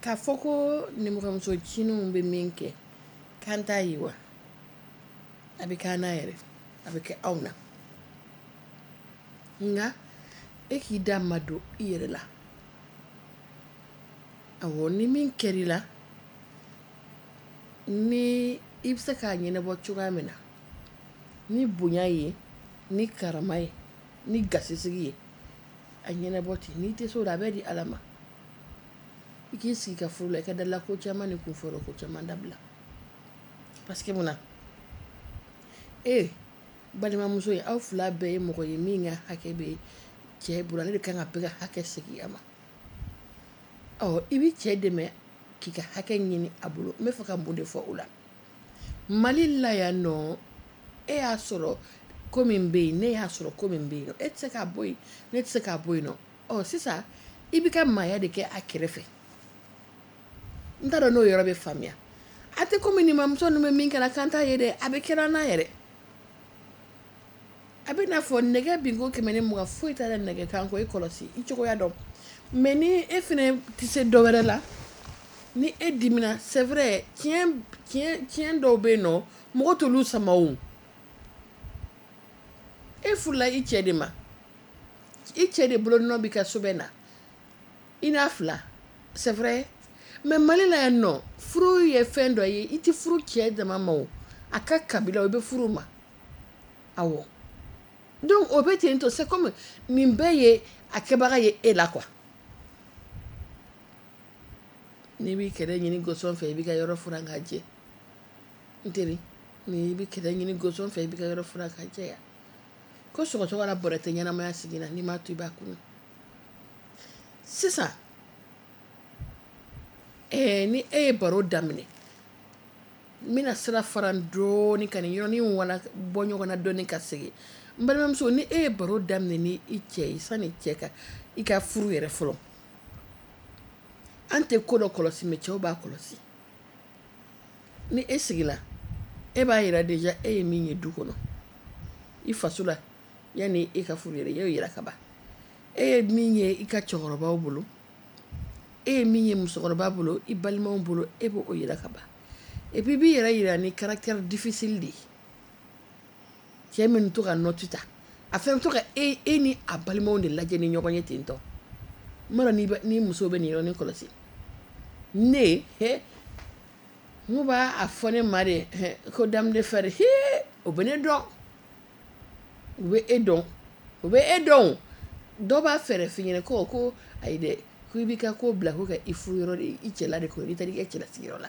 k'a fɔ ko nimɔgɔmuso cininw bɛ min kɛ k'an t'a ye wa a bɛ k'an n'a yɛrɛ a bɛ kɛ anw na nka e k'i da ma don i yɛrɛ la awɔ ni min kɛr'i la ni i bɛ se k'a ɲɛnabɔ cogoya min na ni bonya ye ni karama ye ni gasisigi ye a ɲɛnabɔ ten n'i tɛ se o la a bɛ di Ala ma i k'i sigi ka furu la i ka dala ko caman ni kunfɔlɔ ko caman dabila parce que mun na e balimamuso ye aw fila bɛɛ ye mɔgɔ ye min ka hakɛ bɛ cɛ bolo ale de kan ka bɛɛ ka hakɛ segin a ma ɔ i bɛ cɛ dɛmɛ k'i ka hakɛ ɲini a bolo n bɛ fɛ ka mun de fɔ o la Mali la yan nɔ e y'a sɔrɔ ko min bɛ yen ne y'a sɔrɔ ko min bɛ yen nɔ e tɛ se k'a bɔ yen ne tɛ se k'a bɔ yen nɔ ɔ sisan i b'i ka maaya de kɛ a kɛrɛfɛ n t'a dɔn n'o yɔrɔ bɛ faamuya a tɛ komi nin mamuso ninnu bɛ min kɛra kan t'a ye dɛ a bɛ kɛra n'a yɛrɛ a bɛ n'a fɔ nɛgɛ binko kɛmɛ ni mugan foyi t'a la nɛgɛ kan kɔ i kɔlɔsi i cogoya dɔn mais ni e fɛnɛ tɛ se dɔ wɛrɛ la ni e dimina c'est vrai tiɲɛ tiɲɛ tiɲɛ dɔw bɛ yen nɔ mɔgɔ t'olu sama o e furula i cɛ de ma i cɛ de bolo nɔ b'i ka so bɛ na i n'a fila c'est vrai mais Mali la yan nɔ furu ye fɛn dɔ ye i tɛ furu cɛ dama ma o a ka kabila i bɛ furu ma awɔ donc o bɛ ten tɔ c'est comme nin bɛɛ ye a kɛbaga ye e la quoi n'i b'i kɛlɛ ɲini gosɔn fɛ i b'i ka yɔrɔ furan k'a jɛ n teri n'i bɛ kɛlɛ ɲini gosɔn fɛ i b'i ka yɔrɔ furan k'a jɛ ya ko sɔgɔsɔgɔ la bɔrɛ tɛ ɲɛnamaya sigi na n'i m'a to i b'a kunu sisan ɛɛ ni e ye baro daminɛ N bɛna sira fara dɔɔni ka nin yɔrɔnin wala bɔ ɲɔgɔn na dɔɔni ka segin. N balimamuso, ni e ye baro daminɛ ni i cɛ ye sani cɛ ka i ka furu yɛrɛ fɔlɔ, an tɛ ko dɔ kɔlɔsi mais cɛw b'a kɔlɔsi. Ni e sigila, e b'a yira déjà e ye min ye du kɔnɔ, i faso la, yanni e ka furu yɛrɛ, e y'o yira ka ban. E ye min ye i ka cɛkɔrɔbaw bolo, e ye min ye musokɔrɔba bolo, i balimaw bolo, e b'o yira ka ban. Et puis i b'i yɛrɛ yira ni caractère difficile de ye. Cɛ min to ka note ta, a fɛn to ka e e ni a balimaw de lajɛ ni ɲɔgɔn ye ten tɔ. N m'a dɔn ni ni muso bɛ nin yɔrɔnin kɔlɔsi. Ne he n b'a a fɔ ne ma de ko dame de fer, he o bɛ ne dɔn, u bɛ e dɔn, u bɛ e dɔn. Dɔw b'a fɛɛrɛ f'i ɲɛna ko ko ayi dɛ, ko i b'i ka ko bila ko ka i furu yɔrɔ de, i cɛla de kɔnɔ, n'i taara i ka cɛlasigiyɔrɔ la.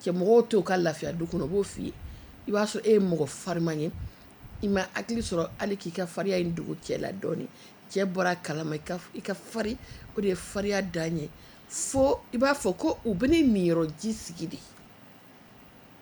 Cɛ mɔgɔw t'o ka lafiya du kɔnɔ, u b'o f'i ye. I b'a sɔrɔ e ye mɔgɔ fariman ye, i ma hakili sɔrɔ hali k'i ka farinya in dogo cɛ la dɔɔni. Cɛ bɔra a kalama i ka i ka fari, o de ye farinya dan ye. Fo i b'a fɔ ko u bɛ ne niyɔrɔ ji sigi de.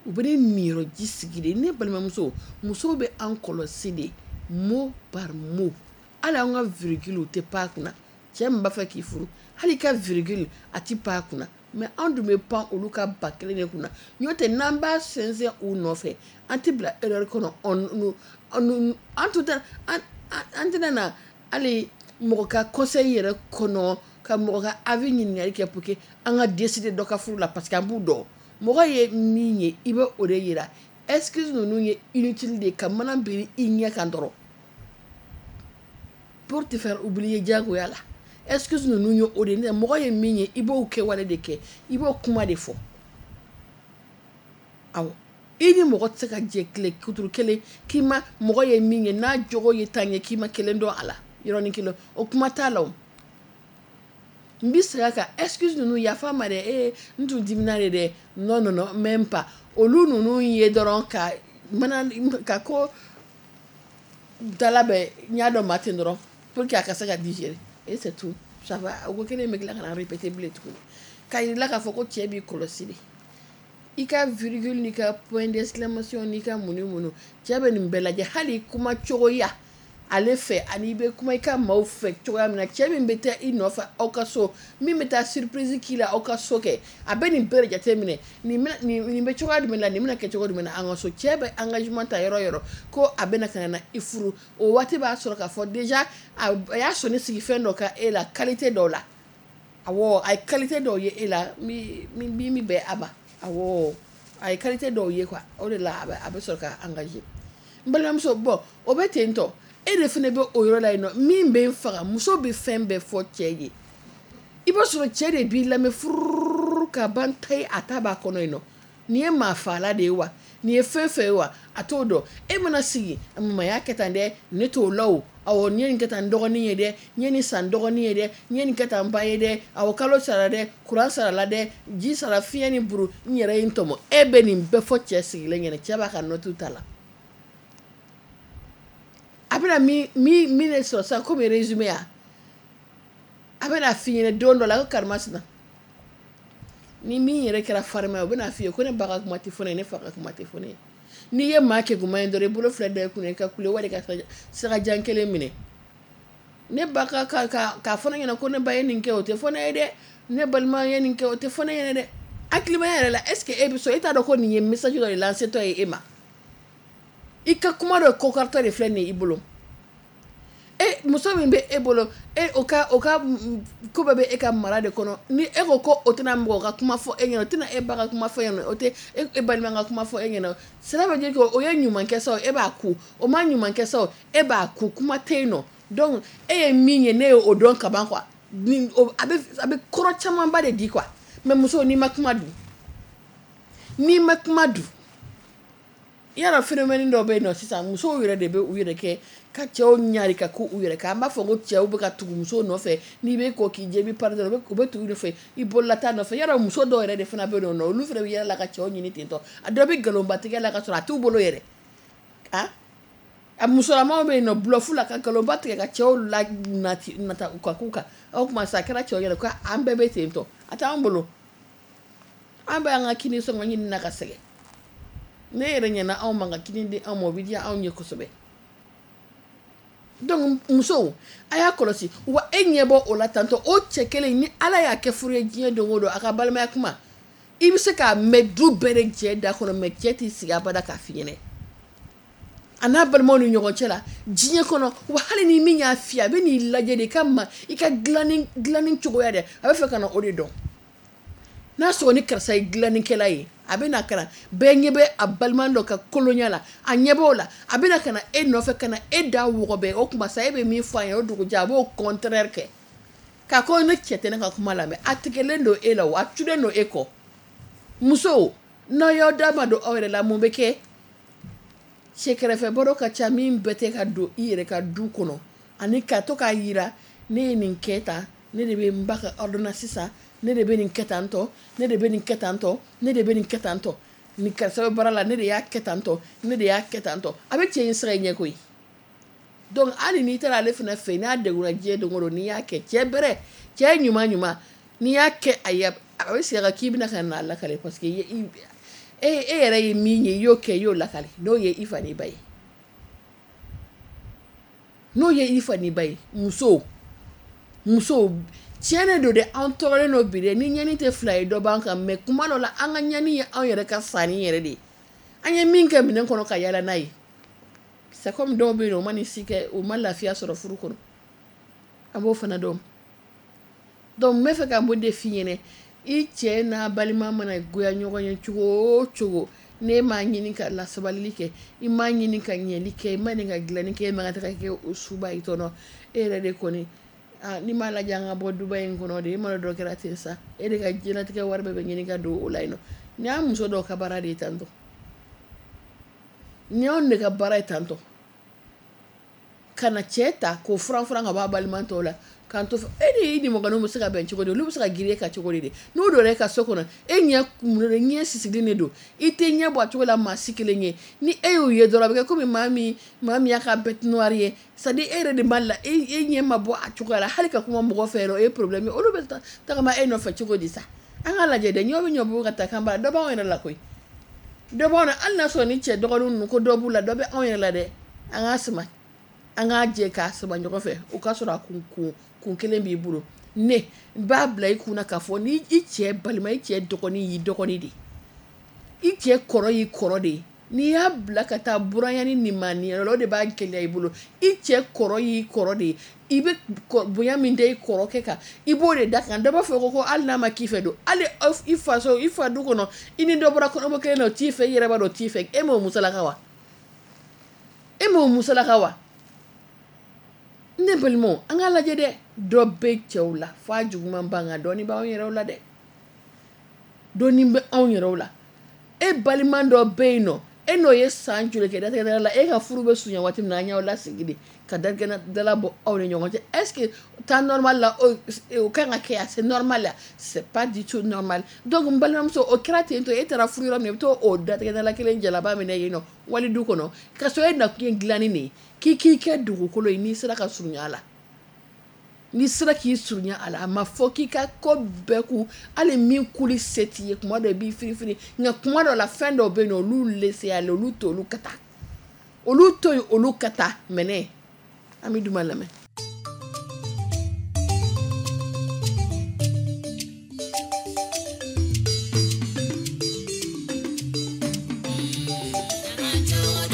U bɛ ne niyɔrɔ ji sigi de. Ne balimamuso, musow bɛ an kɔlɔsi de mot par mot. Hali an ka virgule u tɛ pan a kunna. Cɛ min b'a fɛ k'i furu, hali i ka virgule a tɛ pan a kunna. Mais an dun bɛ pan olu ka ba kelen de kunna. N'o tɛ n'an b'a sɛnsɛn u nɔfɛ, an tɛ bila erreur kɔnɔ. On an tun tɛ an an tɛna na hali mɔgɔ ka conseil yɛrɛ kɔnɔ, ka mɔgɔ ka avis ɲininkali kɛ pour que an ka décider dɔ ka furu la, parce que an b'u dɔn. Mɔgɔ ye min ye, i bɛ o de yira. Excuse ninnu ye inutile de ka mana biri i ɲɛ kan dɔrɔn pour te faire oublier diyagoya la. Excuse ninnu ye o de ye. Mɔgɔ ye min ye, i b'o kɛwale de kɛ, i b'o kuma de fɔ. Awɔ, i ni mɔgɔ tɛ se ka jɛ tile kuturu kelen k'i ma mɔgɔ ye min ye, n'a jogo ye tan ye, k'i ma kelen dɔn a la yɔrɔnin kelen, o kuma t'a la o. N bɛ segin a kan, excuse ninnu yafa ma dɛ, ee n tun dimina de dɛ, non non non même pas. Olu ninnu ye dɔrɔn ka mana ka ko dalabɛn n y'a dɔn maa ten dɔrɔn pour que a ka se ka digérer et c'est tout. Ça va, o ko kelen bɛ tila ka na répéter bilen tuguni. K'a yir'i la k'a fɔ ko cɛ b'i kɔlɔsi de. I ka virgule n'i ka point d'exclamation n'i ka mun ni mun, cɛ bɛ nin bɛɛ lajɛ. Hali kuma cogoya ale fɛ, ani i bɛ kuma i ka maaw fɛ cogoya min na, cɛ min bɛ taa i nɔfɛ aw ka so, min bɛ taa surprise k'i la aw ka so kɛ, a bɛ nin bɛɛ de jateminɛ. Nin nin bɛ cogoya jumɛn la, nin bɛna kɛ cogo jumɛn na an ka so. Cɛ bɛ engagement ta yɔrɔ yɔrɔ ko a bɛna ka na i furu, o waati b'a sɔrɔ k'a fɔ déjà a y'a sɔnni sigi fɛn dɔ kan e la, qualité dɔw la. Awɔ, a ye qualité dɔw ye e la min min min bɛn a ma. Awɔ, a ye qualité dɔw ye quoi, o de la a bɛ a bɛ sɔrɔ ka engager. N balimamuso, bon o bɛ ten tɔ. E de fana bɛ o yɔrɔ la yen nɔ, min bɛ n faga, muso bɛ fɛn bɛɛ fɔ cɛ ye. I b'a sɔrɔ cɛ de b'i lamɛn furuu ka ban ta ye, a ta b'a kɔnɔ yen nɔ. Nin ye maa faala de ye wa, nin ye fɛn fɛn ye wa, a t'o dɔn. E mana sigi, mama y'a kɛ tan dɛ, ne t'o la o. Awɔ, n ye nin kɛ tan n dɔgɔnin ye dɛ, n ye nin san n dɔgɔnin ye dɛ, n ye nin kɛ tan n ba ye dɛ, awɔ kalo sara dɛ, kuran sarala dɛ, ji sara, fiɲɛ ni buru, n yɛrɛ ye n tɔmɔ. E bɛ nin bɛɛ fɔ cɛ sigilen ɲɛna, cɛ b'a ka note ta la. A bɛna min min min de sɔrɔ sisan komi résumé ya, a bɛna f'i ɲɛna don dɔ la ko karimasina. Ni min yɛrɛ kɛra farima ye, o bɛna f'i ye ko ne ba ka kuma tɛ fɔ ne ye, ne fa ka kuma tɛ fɔ ne ye. N'i ye maa keguman ye dɔrɔn, i bolo fila da i kunna, i ka kule wali ka sagajan kelen minɛ. Ne ba ka ka k'a fɔ ne ɲɛna ko ne ba ye nin kɛ, o tɛ fɔ ne ye dɛ. Ne balima ye nin kɛ, o tɛ fɔ ne ɲɛna dɛ. Hakilimaya yɛrɛ la, est ce que e bɛ sɔn? E t'a dɔn ko nin ye message dɔ de lancé tɔ ye e ma. I ka kuma dɔ kɔkɔrɔtɔ de filɛ nin ye i bolo. E muso min bɛ e bolo, e o ka o ka ko bɛɛ bɛ e ka mara de kɔnɔ. Ni e ko ko o tɛna mɔgɔ ka kuma fɔ e ɲɛna, o tɛna e ba ka kuma fɔ e ɲɛna, o tɛ e balima ka kuma fɔ e ɲɛna. Cela veut dire que o ye ɲuman kɛ sa, e b'a ku, o ma ɲuman kɛ sa, e b'a ku, kuma tɛ yen nɔ. Donc e ye min ye, ne ye o dɔn ka ban quoi. Ni a bɛ a bɛ kɔrɔ camanba de di quoi. Mais muso, n'i ma kuma dun, n'i ma kuma dun, yala phénomène dɔ bɛ yen nɔ sisan, musow yɛrɛ de bɛ u yɛrɛ kɛ ka cɛw ɲari ka ko u yɛrɛ kan. An b'a fɔ ko cɛw bɛ ka tugu musow nɔfɛ, n'i bɛ ko k'i jɛ i bɛ pari dɔrɔn, u bɛ tugu i nɔfɛ, i bololata nɔfɛ. Yala muso dɔw yɛrɛ de fana bɛ yen nɔ, olu fana bɛ yɛlɛ la ka cɛw ɲini ten tɔ. A dɔ bɛ nkalonbatigɛ la ka sɔrɔ a t'u bolo yɛrɛ. A a musolamaw bɛ yen nɔ bluff la ka nkalonba tigɛ ka cɛw la nati nata u ka k'u kan. O tuma sa a kɛra cɛw yɛrɛ ko an bɛɛ bɛ ten tɔ, a t'an bolo. An bɛ an ka kini sɔngɔ ɲini na ka sɛgɛn. Ne yɛrɛ ɲɛna anw ma ka kini di anw ma, o bɛ diya anw ye kosɛbɛ. Donc musow, a y'a kɔlɔsi wa e ɲɛ bɔ o la tantɔ o cɛ kelen ni Ala y'a kɛ furu ye diɲɛ don o don, a ka balimaya kuma i bɛ se k'a mɛn du bɛɛ de cɛ da kɔnɔ, mɛ cɛ t'i sigi abada k'a f'i ɲɛna a n'a balimaw ni ɲɔgɔn cɛ la diɲɛ kɔnɔ. Wa hali ni min y'a f'i ye, a bɛ n'i lajɛ de i ka ma i ka dilanni dilanni cogoya dɛ, a bɛ fɛ ka na o de dɔn. N'a sɔrɔ ni karisa ye dilannikɛla ye, a bɛ na ka na bɛɛ ɲɛ bɛ a balima dɔ ka kolonya la, a ɲɛ b'o la, a bɛ na ka na e nɔfɛ ka na e da wɔgɔbɛ. O tuma sa e bɛ min fɔ a ye o dugujɛ a b'o contraire kɛ k'a ko ne cɛ tɛ ne ka kuma lamɛn. A tigɛlen don e la o, a culen don e kɔ. Musow, n'aw y'aw da ma don aw yɛrɛ la, mun bɛ kɛ? Cɛ kɛrɛfɛ baro ka ca min bɛɛ tɛ ka don i yɛrɛ ka du kɔnɔ, ani ka to k'a yira ne ye nin kɛ tan, ne de bɛ n ba ka ordonnance san, ne de bɛ nin kɛ tan tɔ, ne de bɛ nin kɛ tan tɔ, ne de bɛ nin kɛ tan tɔ, nin karisa bɛ baara la, ne de y'a kɛ tan tɔ, ne de y'a kɛ tan tɔ. A bɛ cɛ in sira i ɲɛ koyi. Donc hali n'i taara ale fana fɛ yen, n'a degunna diɲɛ don o don, n'i y'a kɛ cɛ bɛrɛ, cɛ ɲuman ɲuman, n'i y'a kɛ a ye, a bɛ segin a kan k'i bɛna ka na lakale, parce que e e yɛrɛ ye min ye, i y'o kɛ, i y'o lakale. N'o ye i fa n'i ba ye, n'o ye i fa n'i ba ye. Musow, musow tiɲɛ de don dɛ, an tɔɔrɔlen don bi dɛ. Ni ɲani tɛ fila ye dɔ b'an kan, mɛ kuma dɔ la an ka ɲani ye anw yɛrɛ ka sanni yɛrɛ de ye. An ye min kɛ minɛn kɔnɔ ka yala n'a ye, c'est comme dɔw bɛ yen nɔ, u ma nin si kɛ, u ma lafiya sɔrɔ furu kɔnɔ, an b'o fana dɔn. Donc n bɛ fɛ ka mun de f'i ɲɛna, i cɛ n'a balima mana goya ɲɔgɔn ye cogo o cogo, n'e m'a ɲini ka lasabalili kɛ, i m'a ɲini ka ɲɛli kɛ, i m'a ɲini ka dilanni kɛ, e man ka taga kɛ o suba i tɔnɔ. E yɛrɛ de kɔni, ah, n'i m'a lajɛ an ka bɔ duba in kɔnɔ de, e mana dɔ kɛra ten sa, e de ka diɲɛlatigɛ wari bɛɛ bɛ ɲini ka don o la yen nɔ. Nin y'an muso dɔw ka baara de ye tantɔ, nin y'anw de ka baara ye tantɔ, ka na cɛ ta k'o furan furan ka bɔ a balima tɔw la, k'an to e ni i nimɔgɔninw bɛ se ka bɛn cogo di, olu bɛ se ka girin e kan cogo di de? N'u donna e ka so kɔnɔ, e ɲɛ kumunen ɲɛ sisilen de don, i tɛ ɲɛ bɔ a cogo la maa si kelen ye. Ni e y'o ye dɔrɔn, a bɛ kɛ komi maa min maa min y'a ka bête noire ye, c'est à dire e yɛrɛ de b'a la, e e ɲɛ ma bɔ a cogoya la, hali ka kuma mɔgɔ fɛ yɛrɛ o ye problème ye. Olu bɛ tagama e nɔfɛ cogo di sa? An k'a lajɛ dɛ, ɲɔ bɛ ɲɔ bɔ ka taa kan bara, dɔ b'anw yɛrɛ la koyi, dɔ b'anw na. Hali n'a sɔrɔ ni cɛ dɔgɔninw ninnu ko dɔ b'u la, dɔ bɛ anw yɛrɛ la dɛ. An k'a sama, an k'a jɛ k'a sama ɲɔgɔn fɛ, o k'a sɔrɔ a kun kun kun kelen b'i bolo. Ne n b'a bila i kunna k'a fɔ ni i cɛ balima, i cɛ dɔgɔnin y'i dɔgɔnin de ye, i cɛ kɔrɔ y'i kɔrɔ de ye. N'i y'a bila ka taa buranya ni nimaniya la, o de b'a gɛlɛya i bolo. I cɛ kɔrɔ y'i kɔrɔ de ye, i bɛ bonya min da i kɔrɔkɛ kan, i b'o de da kan. Dɔ b'a fɔ ko ko hali n'a ma k'i fɛ don, hali i faso i fa du kɔnɔ, i ni dɔ bɔra kɔnɔbɔ kelen na, o t'i fɛ, i yɛrɛ b'a dɔn o t'i fɛ. E m'o musalaka wa? E m'o musalaka wa? Ne balimaw, an k'a lajɛ dɛ, dɔ bɛ cɛw la f'a juguman ban, nka dɔɔni b'anw yɛrɛw la dɛ, dɔɔni bɛ anw yɛrɛw la. E balima dɔ bɛ yen nɔ, e n'o ye san joli kɛ datigɛdala la, e ka furu bɛ surunya waati min na, an y'aw lasigi de ka datigɛdala bɔ aw ni ɲɔgɔn cɛ. Est-ce que temps normal la o kan ka kɛ yan? C'est normal la? C'est pas du tout normal. Donc n balimamuso, o kɛra ten tɔ, e taara furu yɔrɔ min na, i bɛ t'o o datigɛdala kelen jalaba minɛ yen nɔ wali du kɔnɔ, ka sɔrɔ e nakun ye dilanni de ye, k'i k'i kɛ dugukolo ye. N'i sera ka surunya a la, n'i sera k'i surunya a la, a ma fɔ k'i ka ko bɛɛ ku, hali min kuli se t'i ye, kuma dɔ i b'i firifiri, nka kuma dɔ la fɛn dɔw bɛ yen nɔ, olu laisser aller, olu to olu ka taa, olu to yen olu ka taa. Mɛnɛ an bɛ duman lamɛn. Joe,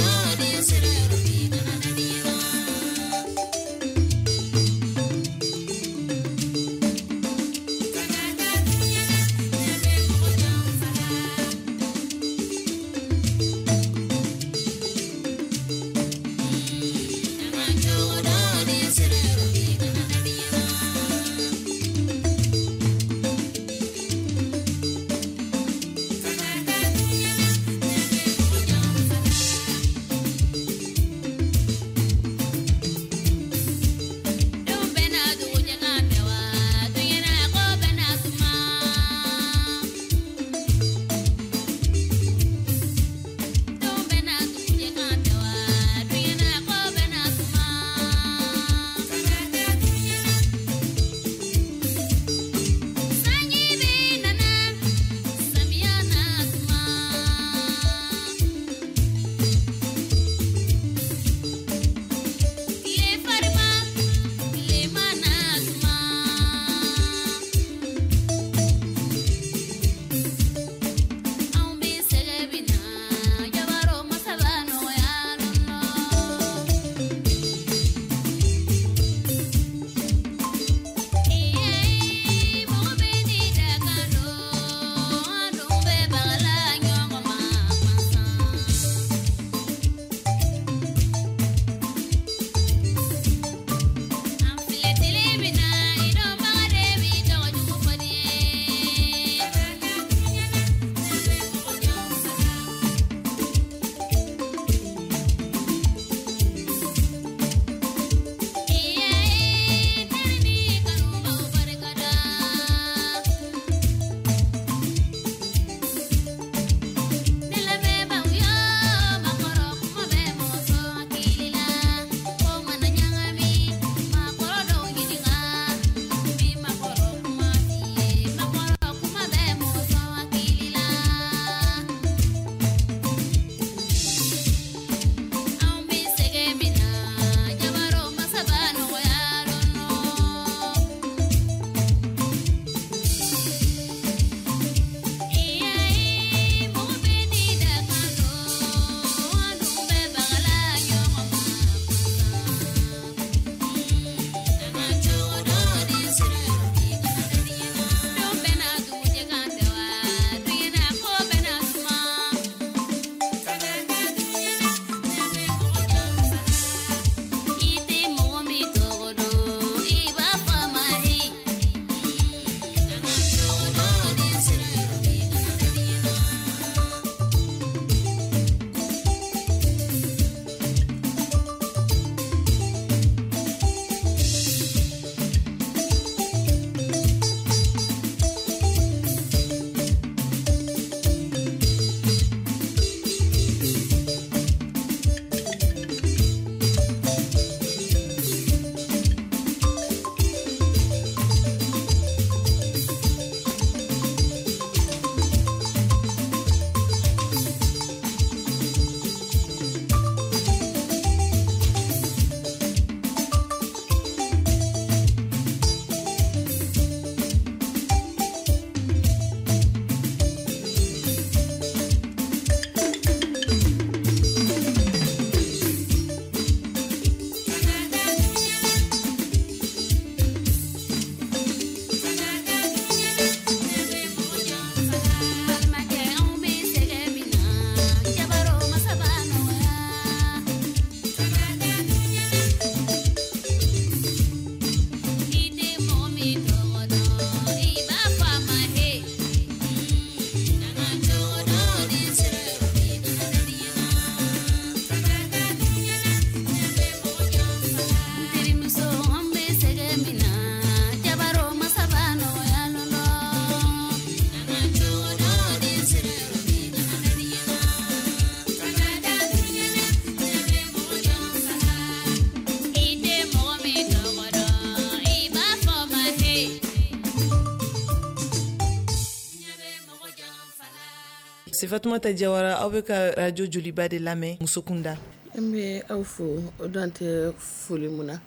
C'est Fatoumata Diawara, aw bɛ ka radio Joliba de lamɛn Musokunda. An bɛ aw fo o dan tɛ foli mun na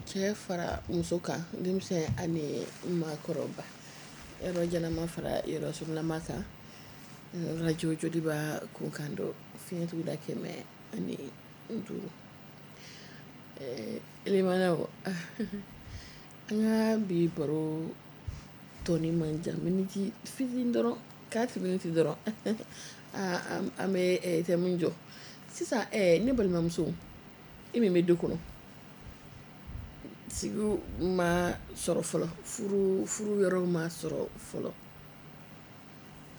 cɛ fara muso kan, denmisɛn ani maakɔrɔba, yɔrɔ jalama fara yɔrɔ surunlama kan, radio Joliba kunkan don fiɲɛ tuguda kɛmɛ ani duuru. Limanaw, an ka bi baro tɔni man jan, miniti fitinin dɔrɔn, quatre minutes dɔrɔn, an bɛ thème jɔ sisan. Ne balimamuso, e min bɛ du kɔnɔ, sigiw ma sɔrɔ fɔlɔ, furu furu yɔrɔ ma sɔrɔ fɔlɔ,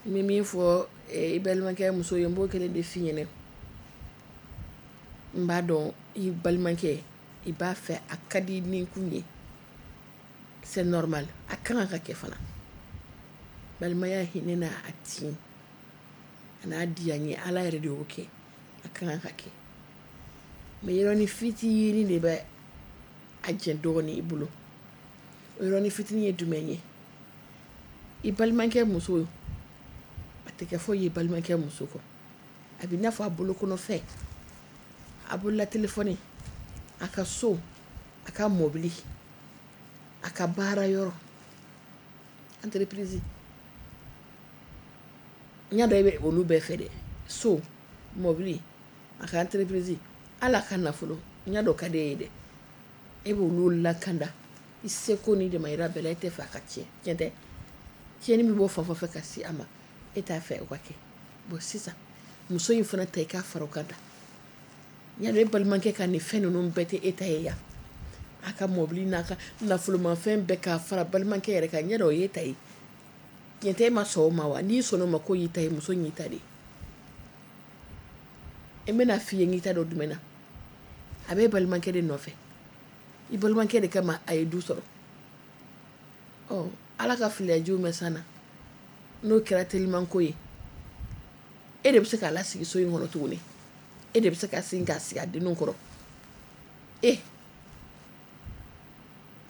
n bɛ min fɔ i balimakɛ muso ye, n b'o kelen de f'i ɲɛna. N b'a dɔn i balimakɛ i b'a fɛ, a ka di ni kun ye, c'est normal, a kan ka kɛ fana. Balimaya hinɛ n'a a tin a n'a diya n ye, Ala yɛrɛ de y'o kɛ, a kan ka kɛ. Mais yɔrɔnin fitinin de bɛ a jɛ dɔɔnin i bolo. O yɔrɔnin fitinin ye jumɛn ye? I balimakɛ muso, a tɛ kɛ foyi ye balimakɛ muso kɔ, a bɛ i n'a fɔ a bolokɔnɔfɛn, a bolola telefɔni, a ka so, a ka mɔbili, a ka baara yɔrɔ, entreprise. N y'a dɔn e bɛ olu bɛɛ fɛ dɛ, so, mɔbili, a ka entreprise, hali a ka nafolo, n y'a dɔn ka di e ye dɛ. E b'olu lakanda i seko ni damayira bɛɛ la, e tɛ fɛ a ka tiɲɛ, tiɲɛ tɛ? Tiɲɛni bɛ bɔ fan fɛn fɛ ka se a ma, e t'a fɛ o ka kɛ. Bon, sisan muso in fana ta, i k'a fara o kan ta. N y'a dɔn e balimakɛ ka nin fɛn ninnu bɛɛ tɛ e ta ye yan, a ka mɔbili n'a ka nafolomafɛn bɛɛ k'a fara balimakɛ yɛrɛ kan, n y'a dɔn o y'e ta ye, tiɲɛ tɛ? E ma sɔn o ma wa? N'i sɔnna o ma k'o y'i ta ye, muso in y'i ta de ye. N bɛna f'i ye n k'i ta dɔn jumɛn na, a bɛ balimakɛ de nɔfɛ, i balimakɛ de kama a ye du sɔrɔ. Ɔ, Ala ka filiyajiw mɛn san na, n'o kɛra telimanko ye, e de bɛ se k'a lasigi so in kɔnɔ tuguni, e de bɛ se ka segin k'a sigi a denninw kɔrɔ. E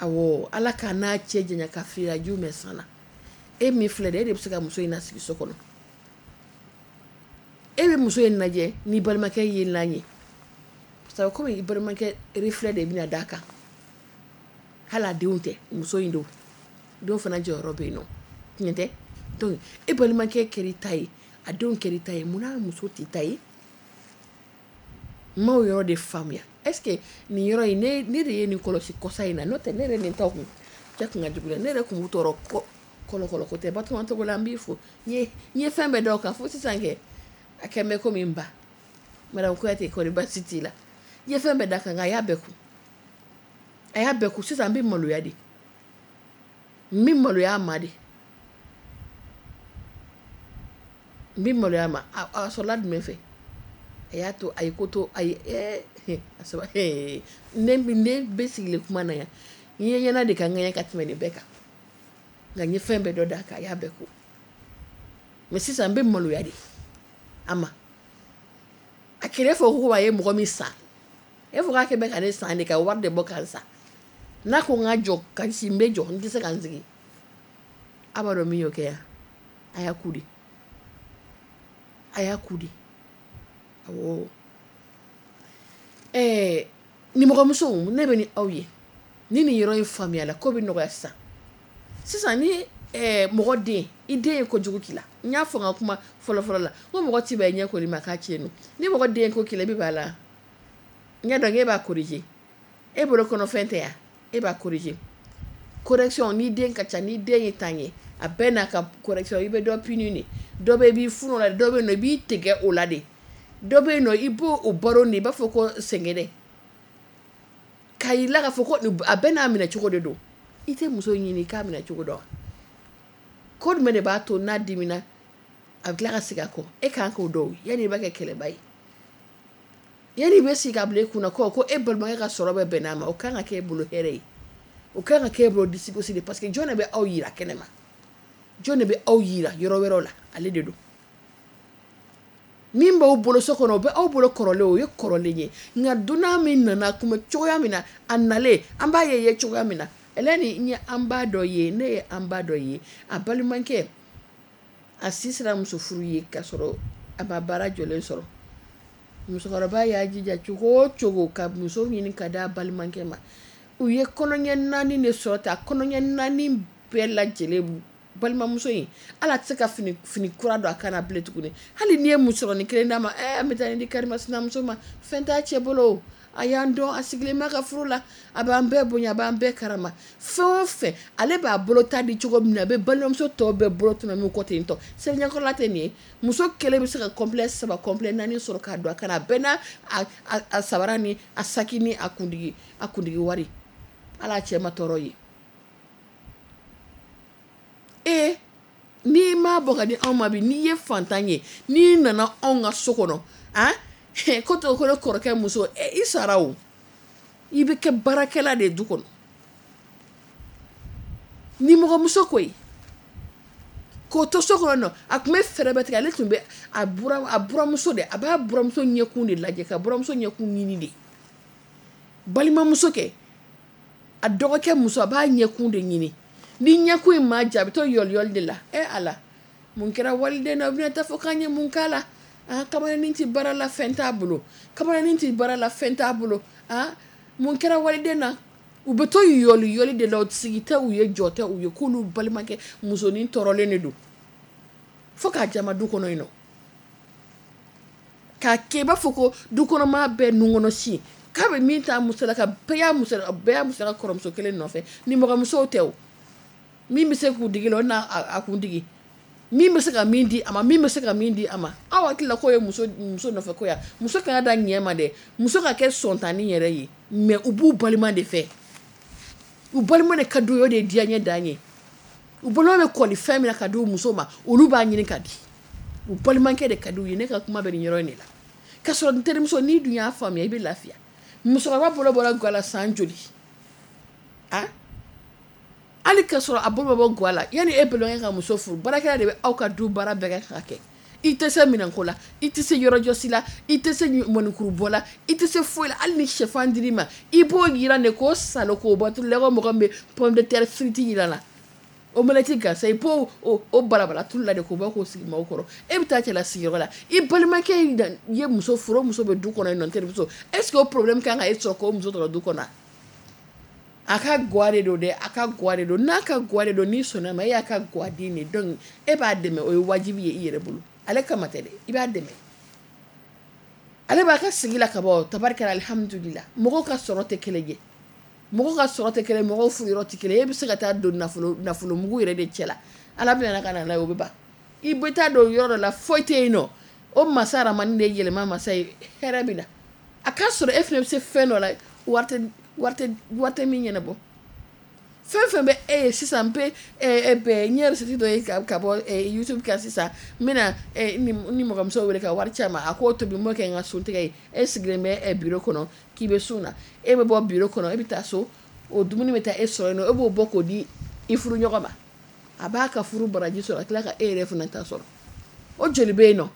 awɔ, Ala k'a n'a cɛ janya ka filiyajiw mɛn san na, e min filɛ dɛ, e de bɛ se ka muso in lasigi so kɔnɔ. E bɛ muso in lajɛ n'i balimakɛ ye lan ye, parce que komi i balimakɛ reflet de bɛna d'a kan, hali a denw tɛ, muso in don, denw fana jɔyɔrɔ bɛ yen nɔ, tiɲɛ tɛ? Donc e balimakɛ kɛra i ta ye, a denw kɛra i ta ye, munna muso t'i ta ye? N m'o yɔrɔ de faamuya. Est ce que nin yɔrɔ in, ne ne de ye nin kɔlɔsi kɔsa in na, n'o tɛ ne yɛrɛ nin ta kun cɛ kun ka jugu dɛ, ne yɛrɛ kun b'u tɔɔrɔ kɔlɔkɔlɔ ko tɛ. Batoma Togola, n b'i fo, n ye n ye fɛn bɛɛ da o kan fo sisan kɛ a kɛ bɛ komi n ba Madame Kuyate, kɔri baasi t'i la? N ye fɛn bɛɛ da kan, nka a y'a bɛɛ kun, a y'a bɛɛ kun. Sisan n bɛ maloya de, n bɛ maloya a ma de, n bɛ maloya a ma. A sɔrɔla jumɛn fɛ? A y'a to a ye ko to a ye ɛɛ a saba ne ne bɛ sigilen kuma na yan, n ye ɲɛna de ka ŋɛɲɛ ka tɛmɛ nin bɛɛ kan, nka n ye fɛn bɛɛ dɔ d'a kan, a y'a bɛɛ ko. Mais sisan n bɛ maloya de a ma. A kɛlɛ fɔ ko a ye mɔgɔ min san, e fɔ k'a kɛ bɛ ka ne san de, ka wari de bɔ ka san. N'a ko n ka jɔ ka si, n bɛ jɔ, n tɛ se ka n sigi. A b'a dɔn min y'o kɛ yan, a y'a ku de, a y'a ku de. Awɔ, ɛɛ nimɔgɔmusow, ne bɛ ni aw ye, ni nin yɔrɔ in faamuyala, ko bɛ nɔgɔya sisan. Sisan ni ɛɛ mɔgɔ den, i den ye kojugu k'i la, n y'a fɔ n ka kuma fɔlɔ fɔlɔ la, ko mɔgɔ ti bɛn ɲɛ koli ma k'a tiɲɛ. Ni mɔgɔ den ko k'i la, i bɛ b'a la, n y'a dɔn e b'a corriger, e bolo kɔnɔfɛn tɛ yan, e b'a corriger. Correction, ni den ka ca, ni den ye tan ye, a bɛɛ n'a ka correction. I bɛ dɔ punir de, dɔ bɛ i b'i funu o la, dɔ bɛ yen nɔ i b'i tigɛ o la de, dɔ bɛ yen nɔ i b'o o baro de, i b'a fɔ ko sɛgɛnɛ k'a yir'i la k'a fɔ ko a bɛɛ n'a minɛ cogo de don. I tɛ muso ɲini i k'a minɛ cogo dɔn, ko jumɛn de b'a to n'a dimina a bɛ tila ka segin a kɔ, e kan k'o dɔn yanni i b'a kɛ kɛlɛba ye. Yanni i bɛ sigi k'a bila i kunna ko ko e balimakɛ ka sɔrɔ bɛ bɛn n'a ma, o kan ka kɛ e bolo hɛrɛ ye, o kan ka kɛ e bolo disigosi de, parce que jɔn de bɛ aw yira kɛnɛ ma, jɔn de bɛ aw yira yɔrɔ wɛrɛw la, ale de don. Min b'aw bolo so kɔnɔ, o bɛ aw bolo kɔrɔlen, o ye kɔrɔlen ye, nka dunan min nana kun bɛ cogoya min na, a nalen an b'a ye ye cogoya min na, Eleni, n ye an ba dɔ ye, ne ye an ba dɔ ye, a balimakɛ A si sera muso furu ye k'a sɔrɔ a ma baara jɔlen sɔrɔ. Musokɔrɔba y'a jija cogo o cogo ka muso ɲini ka d'a balimakɛ ma. U ye kɔnɔɲɛ naani de sɔrɔ ta, kɔnɔɲɛ naani bɛɛ lajɛlen balimamuso in ala tɛ se ka fini fini kura don a kan na bilen tuguni. Hali n'i ye musɔrɔnin kelen d'a ma, ɛɛ an bɛ taa nin di karimasinamuso ma, fɛn t'a cɛ bolo, a y'an dɔn, a sigilen b'a ka furu la, a b'an bɛɛ bonya, a b'an bɛɛ karama. Fɛn o fɛn ale b'a bolo ta di cogo min na, a bɛ balimamuso tɔw bɛɛ bolo tɔnɔmi kɔ ten tɔ. Seliɲɛkɔrɔla tɛ nin ye, muso kelen bɛ se ka complet saba complet naani sɔrɔ k'a don a kan na, a bɛɛ n'a a, a, a sabara ni a saki ni a kundigi a kundigi wari. Ala cɛ ma tɔɔrɔ ye. E n'i m'a bɔ ka di anw ma bi, n'i ye fantan ye, n'i nana anw ka so kɔnɔ, han, ko to ko ne kɔrɔkɛ muso, e i sara o, i bɛ kɛ baarakɛla de ye du kɔnɔ. Ni mɔgɔmuso ko ye k'o to so kɔnɔ nɔ, a tun bɛ fɛɛrɛ bɛɛ tigɛ, ale tun bɛ a bura a buramuso de, a b'a buramuso ɲɛkun de lajɛ, ka buramuso ɲɛkun ɲini de. Balimamuso kɛ, a dɔgɔkɛ muso, a b'a ɲɛkun de ɲini. Ni ɲɛkun in ma ja, a bɛ to yɔliyɔli de la. E Ala, mun kɛra waliden na, u bɛna taa fɔ k'an ye mun k'a la. Ah, kamalenin tɛ baara la, fɛn t'a bolo. Kamalenin tɛ baara la, fɛn t'a bolo. Ah, mun kɛra waliden na, u bɛ to yɔliyɔli de la, u sigi tɛ u ye, jɔ tɛ u ye, k'olu balimakɛ musonin tɔɔrɔlen de don. Fo k'a jama du kɔnɔ yen nɔ. K'a kɛ i b'a fɔ ko du kɔnɔmaa bɛɛ nun kɔnɔ si. K'a bɛ min ta muso la, ka bɛɛ y'a muso la, bɛɛ y'a muso la kɔrɔmuso kelen nɔfɛ. Ni mɔgɔmusow tɛ o. Min bɛ se k'u digi la, o n'a a kun digi. Min bɛ se ka min di a ma, min bɛ se ka min di a ma. Aw hakili la k'o ye muso muso nɔfɛ ko ya. Muso kana da ɲɛ ma dɛ. Muso ka kɛ sɔntanni yɛrɛ ye. Mais u b'u balima de fɛ. U balima de ka d'u ye, o de ye diyaɲɛ dan ye. U balima bɛ kɔli fɛn min na ka di u muso ma, olu b'a ɲini ka di. U balimakɛ de ka d'u ye. Ne ka kuma bɛ nin yɔrɔ in de la. K'a sɔrɔ n terimuso, n'i dun y'a faamuya, i bɛ lafiya. Musokɔrɔba bolo bɔra ga la san joli? Ah? Hali k'a sɔrɔ a bolo bɔ ga la, yanni e balimakɛ ka muso furu, baarakɛla de bɛ aw ka du baara bɛɛ kɛ ka kɛ. I tɛ se minɛnko la, i tɛ se yɔrɔjɔsi la, i tɛ se mɔnikurubɔ la, i tɛ se foyi la. Hali ni sɛfan dir'i ma, i b'o yiran de k'o salo k'o bɔ tulu la, ko mɔgɔ min bɛ pomme de terre frite yiran la, omelette gansan, i b'o o, o balabala tulu la de k'o bɔ k'o sigi maaw kɔrɔ. E bɛ taa cɛlasigiyɔrɔ la, i balimakɛ ye muso furu, o muso bɛ du kɔnɔ yen nɔ, n terimuso. Est ce que o problème kan ka e sɔrɔ k'o muso tɔrɔ du kɔnɔ? A ka gwa de don dɛ, a ka gwa de don. N'a ka gwa de don, n'i sɔnna ma, e y'a ka gwa den de. Donc e b'a dɛmɛ, o ye wajibi ye i yɛrɛ bolo. Ale kama tɛ dɛ, i b'a dɛmɛ. Ale b'a ka sigi la ka bɔ, tabarikala, alihamudulila. Mɔgɔw ka sɔrɔ tɛ kelen ye. Mɔgɔw ka sɔrɔ tɛ kelen, mɔgɔw furuyɔrɔ tɛ kelen. E bɛ se ka taa don nafolo nafolomugu yɛrɛ de cɛ la. Ala bɛna ka na n'a ye, o bɛ ban. I bɛ taa don yɔrɔ dɔ la, foyi tɛ yen nɔ. O masa Ramani de ye yɛlɛma masa ye, hɛrɛ bɛ na. A k'a sɔrɔ e fana bɛ se fɛn dɔ la, wari tɛ wari tɛ wari tɛ min ɲɛnabɔ. Fɛn fɛn bɛ e ye sisan, n bɛ ɛ n ye recette dɔ ye ka ka bɔ YouTube kan sisan, n bɛna ni ni mɔgɔmuso wele ka wari ci a ma, a k'o tobi, n b'o kɛ n ka suntigɛ ye. E sigilen bɛ bureau kɔnɔ k'i bɛ sun na, e bɛ bɔ bureau kɔnɔ, e bɛ taa so, o dumuni bɛ taa e sɔrɔ yen nɔ, e b'o bɔ k'o di i furu ɲɔgɔn ma. A b'a ka furu baraji sɔrɔ, a tila ka e yɛrɛ fana ta sɔrɔ. O joli bɛ yen nɔ.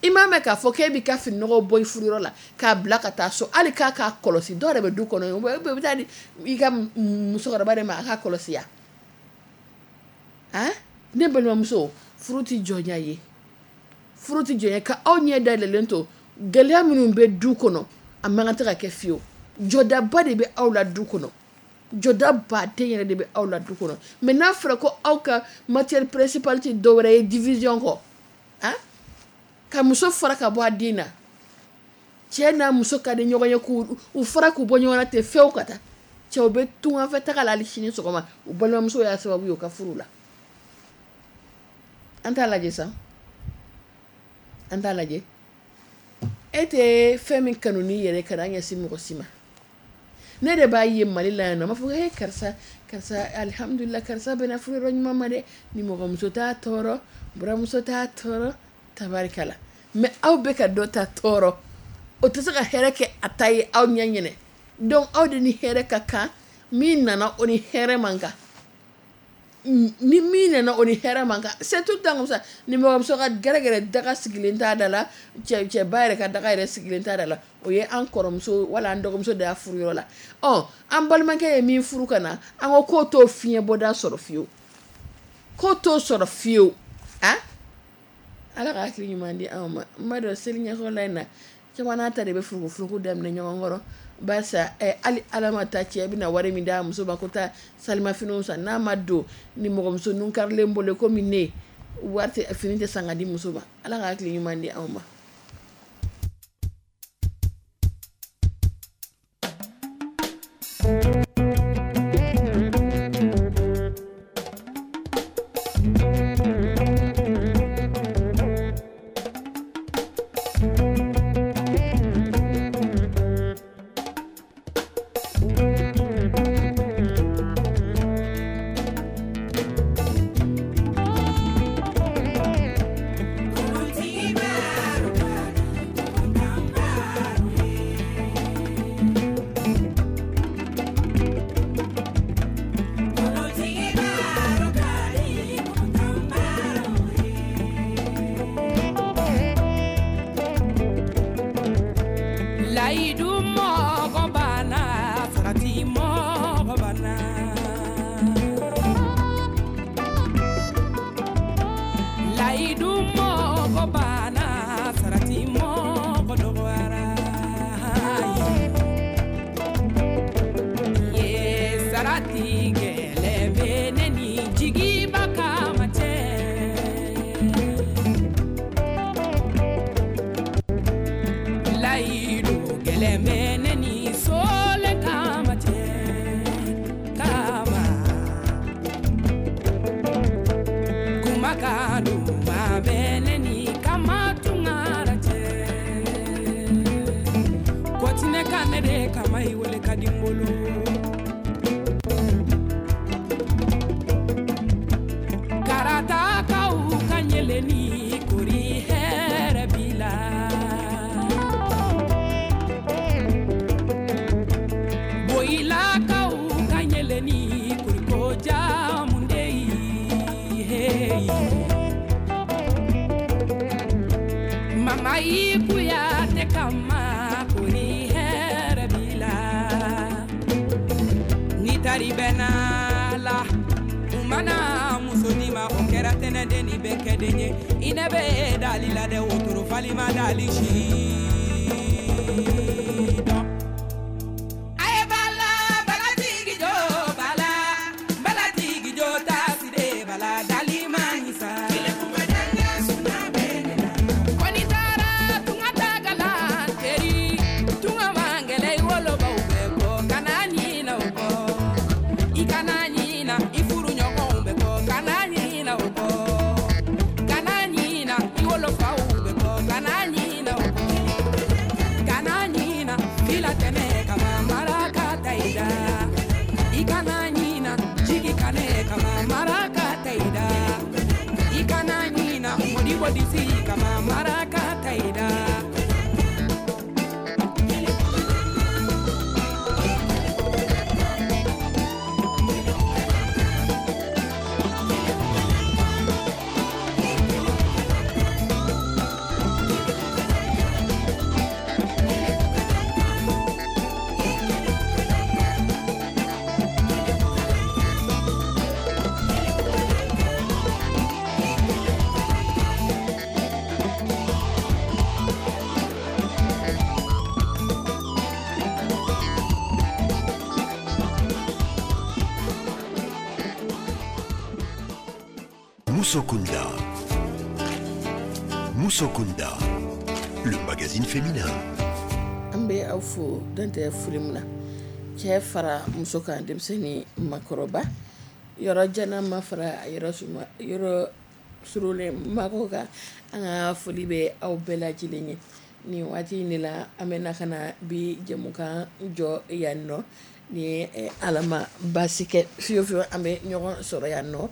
I m'a mɛn k'a fɔ k'e b'i ka fininɔgɔw bɔ i furuyɔrɔ la k'a bila ka taa so, hali k'a k'a kɔlɔsi. Dɔw yɛrɛ bɛ du kɔnɔ yen, u bɛ taa di i ka musokɔrɔba de ma a k'a kɔlɔsi ya. Han, ne balimamuso, furu tɛ jɔnya ye. Furu tɛ jɔnya ka aw ɲɛ dayɛlɛlen to gɛlɛya minnu bɛ du kɔnɔ, a man kan tɛ ka kɛ fiyewu. Jɔdaba de bɛ aw la du kɔnɔ. Jɔda baden yɛrɛ de bɛ aw la du kɔnɔ. Mais n'a fɔra ko aw ka matière principale tɛ dɔwɛrɛ ye division kɔ, han, ka muso fara ka bɔ a den na, cɛ n'a muso ka di ɲɔgɔn ye k'u u fara k'u bɔ ɲɔgɔn na ten fewu ka taa. Cɛw bɛ tunganfɛ taga la hali sini sɔgɔma, u balimamuso y'a sababu ye u ka furu la. An t'a lajɛ sa, an t'a lajɛ. E tɛ fɛn min kanu n'i yɛrɛ, kana ɲɛsin mɔgɔ si ma. Ne de b'a ye Mali la yan nɔ, n b'a fɔ he karisa, karisa alihamudulila, karisa bɛna furu yɔrɔ ɲuman ma dɛ. Ni mɔgɔmuso t'a tɔɔrɔ, buramuso t'a tɔɔrɔ, tabarikala. Mais aw bɛ ka dɔ ta tɔɔrɔ, o tɛ se ka hɛrɛ kɛ a ta ye aw ɲɛ ɲɛnɛ. Donc aw de ni hɛrɛ ka kan, min nana o ni hɛrɛ man kan. Ni min nana o ni hɛrɛ man kan, c'est tout le temps comme ça. Ni mɔgɔmuso ka gɛrɛgɛrɛ daga sigilen t'a da la, cɛ cɛba yɛrɛ ka daga yɛrɛ sigilen t'a da la, o ye an kɔrɔmuso wala an dɔgɔmuso de y'a furu yɔrɔ la. Ɔ, an balimakɛ ye min furu ka na, an ko k'o t'o fiɲɛ bɔda sɔrɔ fiyewu, k'o t'o sɔrɔ fiyewu. Han, Ala ka hakili ɲuman di anw ma. N b'a dɔn seli ɲɛkɔrɔla in na, caman n'a ta de bɛ furukufuruku daminɛ ɲɔgɔn kɔrɔ. Barisa hali Ala ma taa cɛ bɛna wari min d'a muso ma ko taa salimafiniw san, n'a ma don ni mɔgɔmuso nun karilen bolo komi ne, wari tɛ, fini tɛ san ka di muso ma. Ala ka hakili ɲuman di anw ma. Musokunda. Musokunda, le magazine féminin. An bɛ aw fo dan tɛ foli min na, cɛ fara muso kan, denmisɛnnin makɔrɔba, yɔrɔ jana ma fara yɔrɔ suma yɔrɔ surulen mako kan. An ka foli bɛ aw bɛɛ lajɛlen ye nin waati in de la. An bɛ na ka na bi jɛmukan jɔ yan nɔ ni Ala ma baasi kɛ fiyewu fiyewu, an bɛ ɲɔgɔn sɔrɔ yan nɔ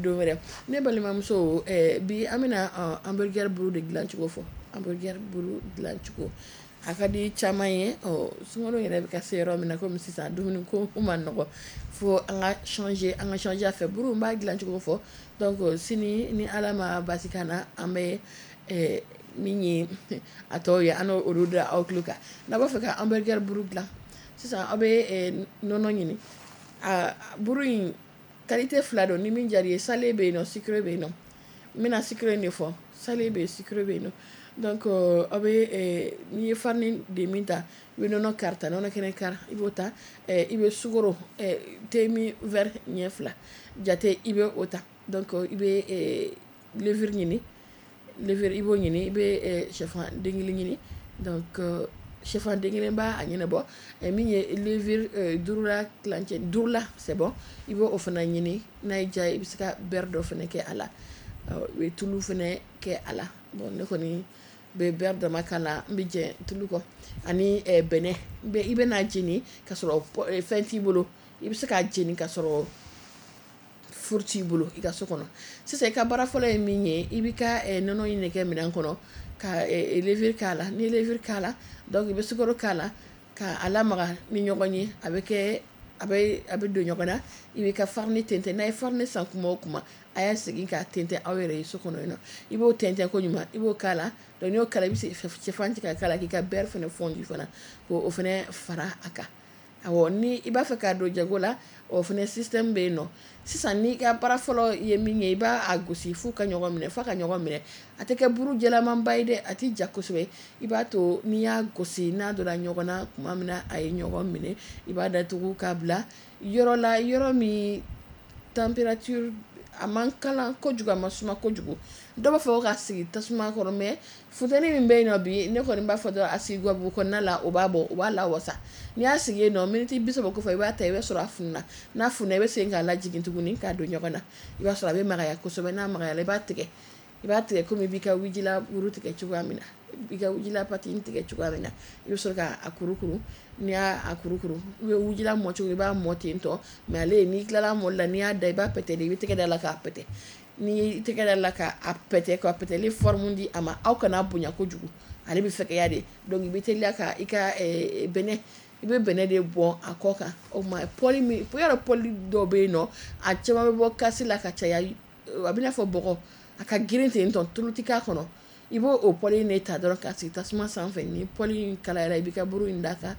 don wɛrɛ. Ne balimamuso, bi an bɛna hamburger buru de dilancogo fɔ. Hamburger buru dilancogo a ka di caman ye. Sunkalo yɛrɛ bɛ ka se yɔrɔ min na, komi sisan dumuni ko ma nɔgɔ, fo an ka changer, an ka changer a fɛ. Buru n b'a dilancogo fɔ. Donc sini ni Ala ma baasi k'an na, an bɛ min ye a tɔw ye, an n'olu da aw tulo kan. N'a b'a fɛ ka hamburger buru dilan sisan, aw bɛ nɔnɔ ɲini. A buru in qualité fila don, ni min diyara i ye, salé bɛ yen nɔ, sucré bɛ yen nɔ. N bɛna sucré de fɔ, salé bɛ yen, sucré bɛ yen nɔ. Donc aw bɛ n'i ye farine de min ta, i bɛ nɔnɔ kari ta, nɔnɔ kɛnɛ kari i b'o ta, i bɛ sukaro thé min verre ɲɛ fila jate i bɛ o ta. Donc i bɛ levure ɲini, levure i b'o ɲini, i bɛ sɛfan den kelen ɲini. Donc sɛfan den kelen b'a a ɲɛnabɔ. Min ye levure duuru la tilancɛ duuru la, c'est bon, i b'o fana ɲini. N'a y'i diya i bɛ se ka beurre dɔ fana kɛ a la, i bɛ tulu fana kɛ a la. Bon, ne kɔni bɛ beurre dama k'a la, n bɛ jɛ tulu kɔ ani bɛnɛ. I bɛ n'a jeni ka sɔrɔ fɛn t'i bolo, i bɛ se k'a jeni ka sɔrɔ four t'i bolo i ka so kɔnɔ. Sisan i ka baara fɔlɔ ye min ye, i b'i ka nɔnɔ in de kɛ minɛn kɔnɔ ka levure k'a la. N'i ye levure k'a la, donc i bɛ sukaro k'a la ka a lamaga ni ɲɔgɔn ye, a bɛ kɛ a bɛ a bɛ don ɲɔgɔn na. I b'i ka farine tɛntɛn. N'a ye farine san kuma o kuma, a y'a segin k'a tɛntɛn aw yɛrɛ ye so kɔnɔ yen nɔ. I b'o tɛntɛn ko ɲuman, i b'o k'a la. Donc n'i y'o k'a la, i bɛ sɛfan ci ka k'a la, k'i ka beurre fana fondu fana k'o fana fara a kan. Awɔ, ni i b'a fɛ k'a don jago la, o fana système bɛ yen nɔ. Sisan n'i ka baara fɔlɔ ye min ye, i b'a a gosi f'u ka ɲɔgɔn minɛ, f'a ka ɲɔgɔn minɛ. A tɛ kɛ buru jɛlamanba ye dɛ, a tɛ ja kosɛbɛ. I b'a to n'i y'a gosi, n'a donna ɲɔgɔn na tuma min na, a ye ɲɔgɔn minɛ, i b'a datugu k'a bila yɔrɔ la, yɔrɔ min température a man kalan kojugu, a ma suma kojugu. Dɔw b'a fɔ k'a sigi tasuma kɔrɔ, mais funteni min bɛ yen nɔ bi, ne kɔni b'a fɔ dɔrɔn a sigi gabugu kɔnɔna la, o b'a bɔ, o b'a lawasa. N'i y'a sigi yen nɔ miniti bi saba kɔfɛ, i b'a ta, i b'a sɔrɔ a fununa. N'a fununa, i bɛ segin k'a lajigin tuguni k'a don ɲɔgɔn na. I b'a sɔrɔ a bɛ magaya kosɛbɛ. N'a magayara, i b'a tigɛ, i b'a tigɛ komi i b'i ka wujila wuru tigɛ cogoya min na, i ka wujila pâte tigɛ cogoya min na. I bɛ sɔrɔ k'a kurukuru. N'i y'a kurukuru, i bɛ wujila mɔ cogo, i b'a mɔ ten tɔ. Mais ale, n'i tilala mɔli la, n'i y'a da, i b'a pɛtɛ de, i bɛ tɛgɛ da la k'a pɛtɛ. N'i tɛgɛ da la k'a pɛtɛ, ka pɛtɛli forme di a ma, aw kana bonya kojugu, ale bɛ fɛgɛya de. Donc i bɛ teliya ka i ka bɛnɛ, i bɛ bɛnɛ de bɔn a kɔ kan. O tuma poêle min, yɔrɔ poêle dɔw bɛ yen nɔ, a caman bɛ bɔ kasi la ka caya, a bɛ n'a fɔ bɔgɔ, a ka girin ten tɔ, tulu tɛ k'a kɔnɔ. I b'o o poêle in de ta dɔrɔn k'a sigi tasuma sanfɛ. Ni poêle in kalayara, i b'i ka buru in d'a kan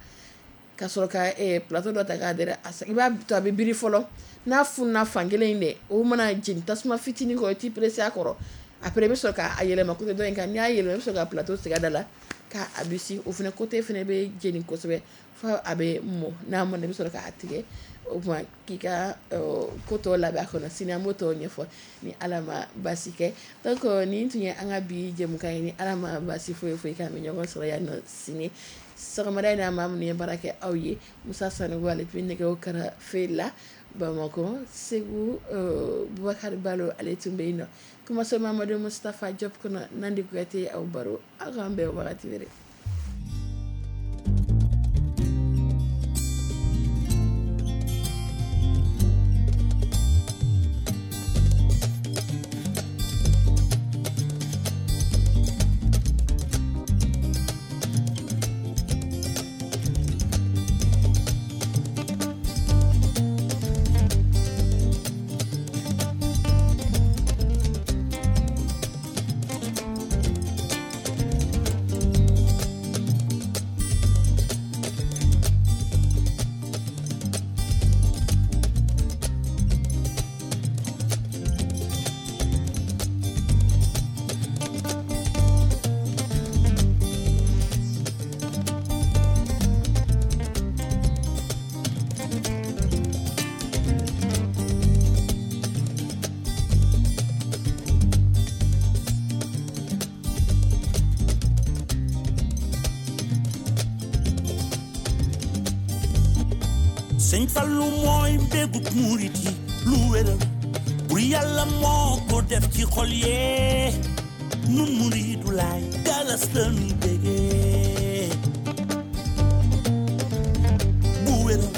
ka sɔrɔ ka plateau dɔ ta k'a dɛrɛ. I b'a to a bɛ biri fɔlɔ. N'a fununa fankelen in dɛ, o mana jeni tasuma fitinin kɔrɔ, i t'i pressé a kɔrɔ. Après i bɛ sɔrɔ k'a yɛlɛma côté dɔ in kan. N'i y'a yɛlɛma, i bɛ sɔrɔ ka plateau sigi a da la k'a bisi. O fana côté fana bɛ jeni kosɛbɛ fo a bɛ mɔ. N'a mɔna, i bɛ sɔrɔ k'a tigɛ. O tuma k'i ka ko tɔ labɛn a kɔnɔ. Sini an b'o tɔ ɲɛfɔ ni Ala ma baasi kɛ. Donc nin tun ye an ka bi jɛmukan ye. Ni Ala ma baasi foyi foyi k'an bɛ ɲɔgɔn sɔrɔ yan nɔ sini sɔgɔmada in na. Maa minnu ye baara kɛ aw ye, Musa Sanogo, ale tun bɛ nɛgɛw karafe la Bamakɔ, Segu Bubakari Balo, ale tun bɛ yen nɔ. Kumaso Mamadu Mustafa Diop kɔnɔ, Nandi Kuyate aw baro. Aw k'an bɛn wagati wɛrɛ. Sëñ Fallu mooy mbégub murit yi, lu wéral bur Yàlla moo ko def ci xol yee. Nun muridu laay galas la nuy bégee bu wéral.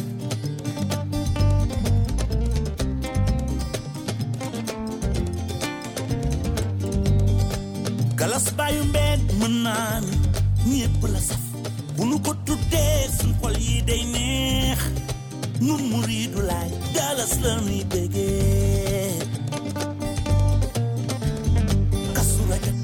Galas baayu mbeen mën naa ni ñépp la saf, bu nu ko tuddee suñ xol yi day neex. Nun muridu laay galas la nuy bégee. Kazu Rajab.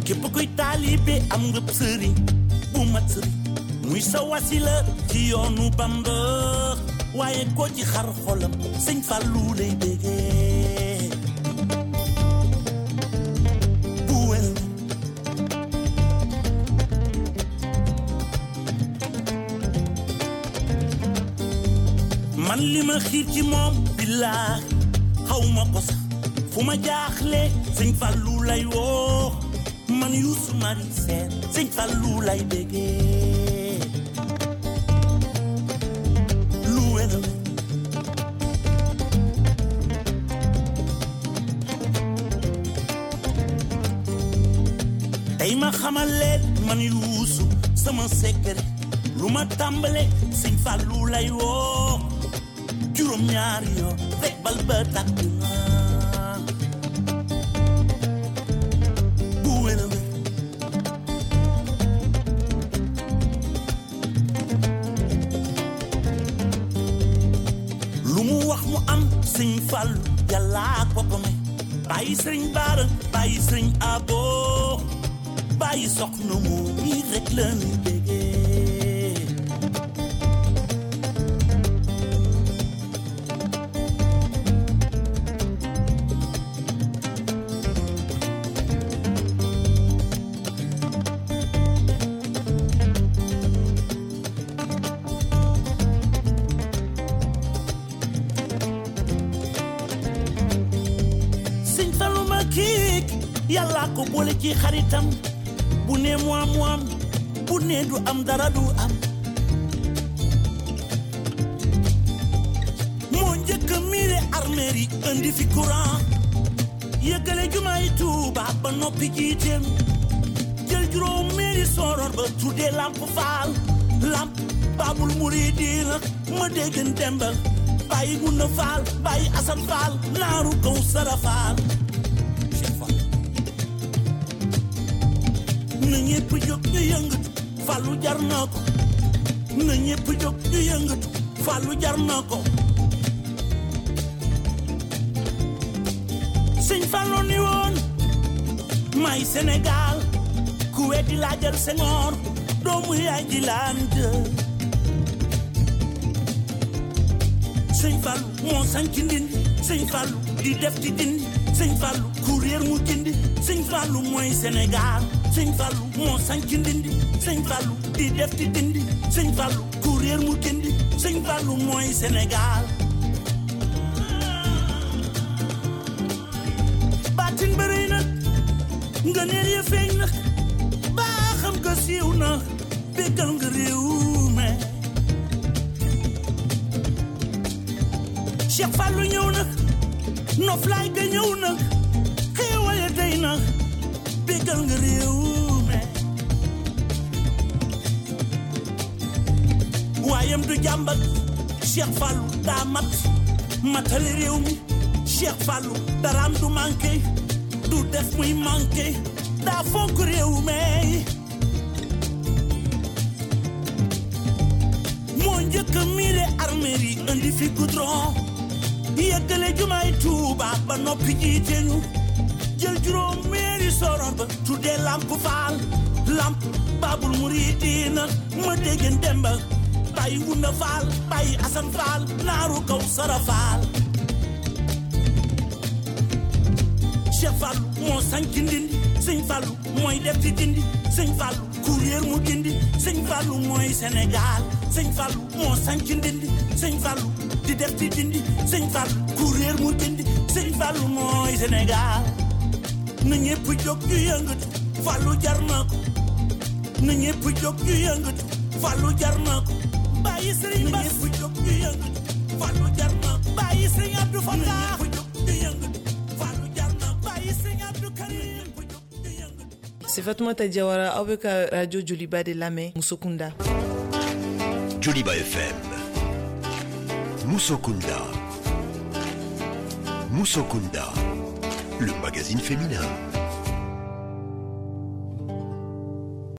Képp kuy taalibe am nga sëriñ bu mat sëriñ. Muy sa wasila ci yoonu Bamba waaye ko ci xar xolam Sëñ Fallu lay bégee bu wér. Man li ma xiir ci moom billaahi xaw ma ko sax fu ma jaaxle Sëñ Fallu lay woo man Youssou Mari Sène Sëñ Fallu lay bégee lu wér. Tey ma xamal leen man Youssou sama secret lu ma tàmbale Sëñ Fallu lay woo juróom ñaar yoon rek bal ba tàkk na bu wér a wér. Lu mu wax mu am Sëñ Fallu Yàlla ko ko may bàyyi Sëriñ Baara bàyyi Sëriñ Abo bàyyi soxna mu mi rek la ñu bégee. Sëñ Fallu ma kiik Yàlla ko boole ci xaritam bu ne mu am mu am bu ne du am dara du am moo njëkk a miire armeer yi indi fi courant yëggale jumaay Tuuba ba noppi jiiteem jël juróom meeri sooroor ba tuddee Lamp Faal Lamp Baabul Muridiina ma déggan Demba bàyyi Gunda Faal bàyyi Asan Faal naaru kaw Sara Faal na ñépp jóg ñu yëngatu Fallu jar na ko na ñépp jóg ñu yëngatu Fallu jar na ko Sëñ Fallu ni woon may Sénégal ku weddi laajal Senghor doomu yaay ji laan de Sëñ Fallu moo sanc Ndindi Sëñ Fallu di def di dindi Sëñ Fallu ku réer mu gindi Sëñ Fallu mooy Sénégal Sëñ Fallu moo sanc Ndindi Sëñ Fallu di def di dindi Sëñ Fallu ku réer mu gindi Sëñ Fallu mooy Sénégal baatin bëri na nga neel ya feeñ na baaxam nga siiw na béggal nga réew mi Cheikh Fallu ñëw na noflaay ga ñëw na xéewal ya tey na béggal nga réew mi waayam du jàmbat Cheikh Fallu daa mat matale réew mi Cheikh Fallu daraam du manqué du def muy manqué daa fonk réew mi moo njëkk a miire armeer yi indi fi goudron yeggale jumaay Tuuba ba noppi jiite ñu jël juróom meeri soror ba tuddee Lamp Faal Lamp Baabul Muridiina ma déggen Demba bàyyi Wunda Faal bàyyi Asan Faal naaru kaw Sara Faal Cheikh Fallu moo sanc Ndindi Sëñ Fallu mooy def di dindi Sëñ Fallu ku réer mu gindi Sëñ Fallu mooy Sénégal Sëñ Fallu moo sanc Ndindi Sëñ Fallu di def di dindi Sëñ Fallu ku réer mu gindi Sëñ Fallu mooy Sénégal na ñépp jóg ñu yëngatu Fallu jar na ko na ñépp jóg ñu yëngatu Fallu jar na ko bàyyi Sëriñ Bass na ñépp jóg ñu yëngatu Fallu jar na ko bàyyi Sëriñ Abdou Fatah na ñépp jóg ñu yëngatu Fallu jar na ko bàyyi Sëriñ Abdou Karim. C'est Fatoumata Diawara aw bɛ ka radio Joliba de lamɛn Musokunda. Joliba F M. Musokunda. Musokunda, le magazine féminin.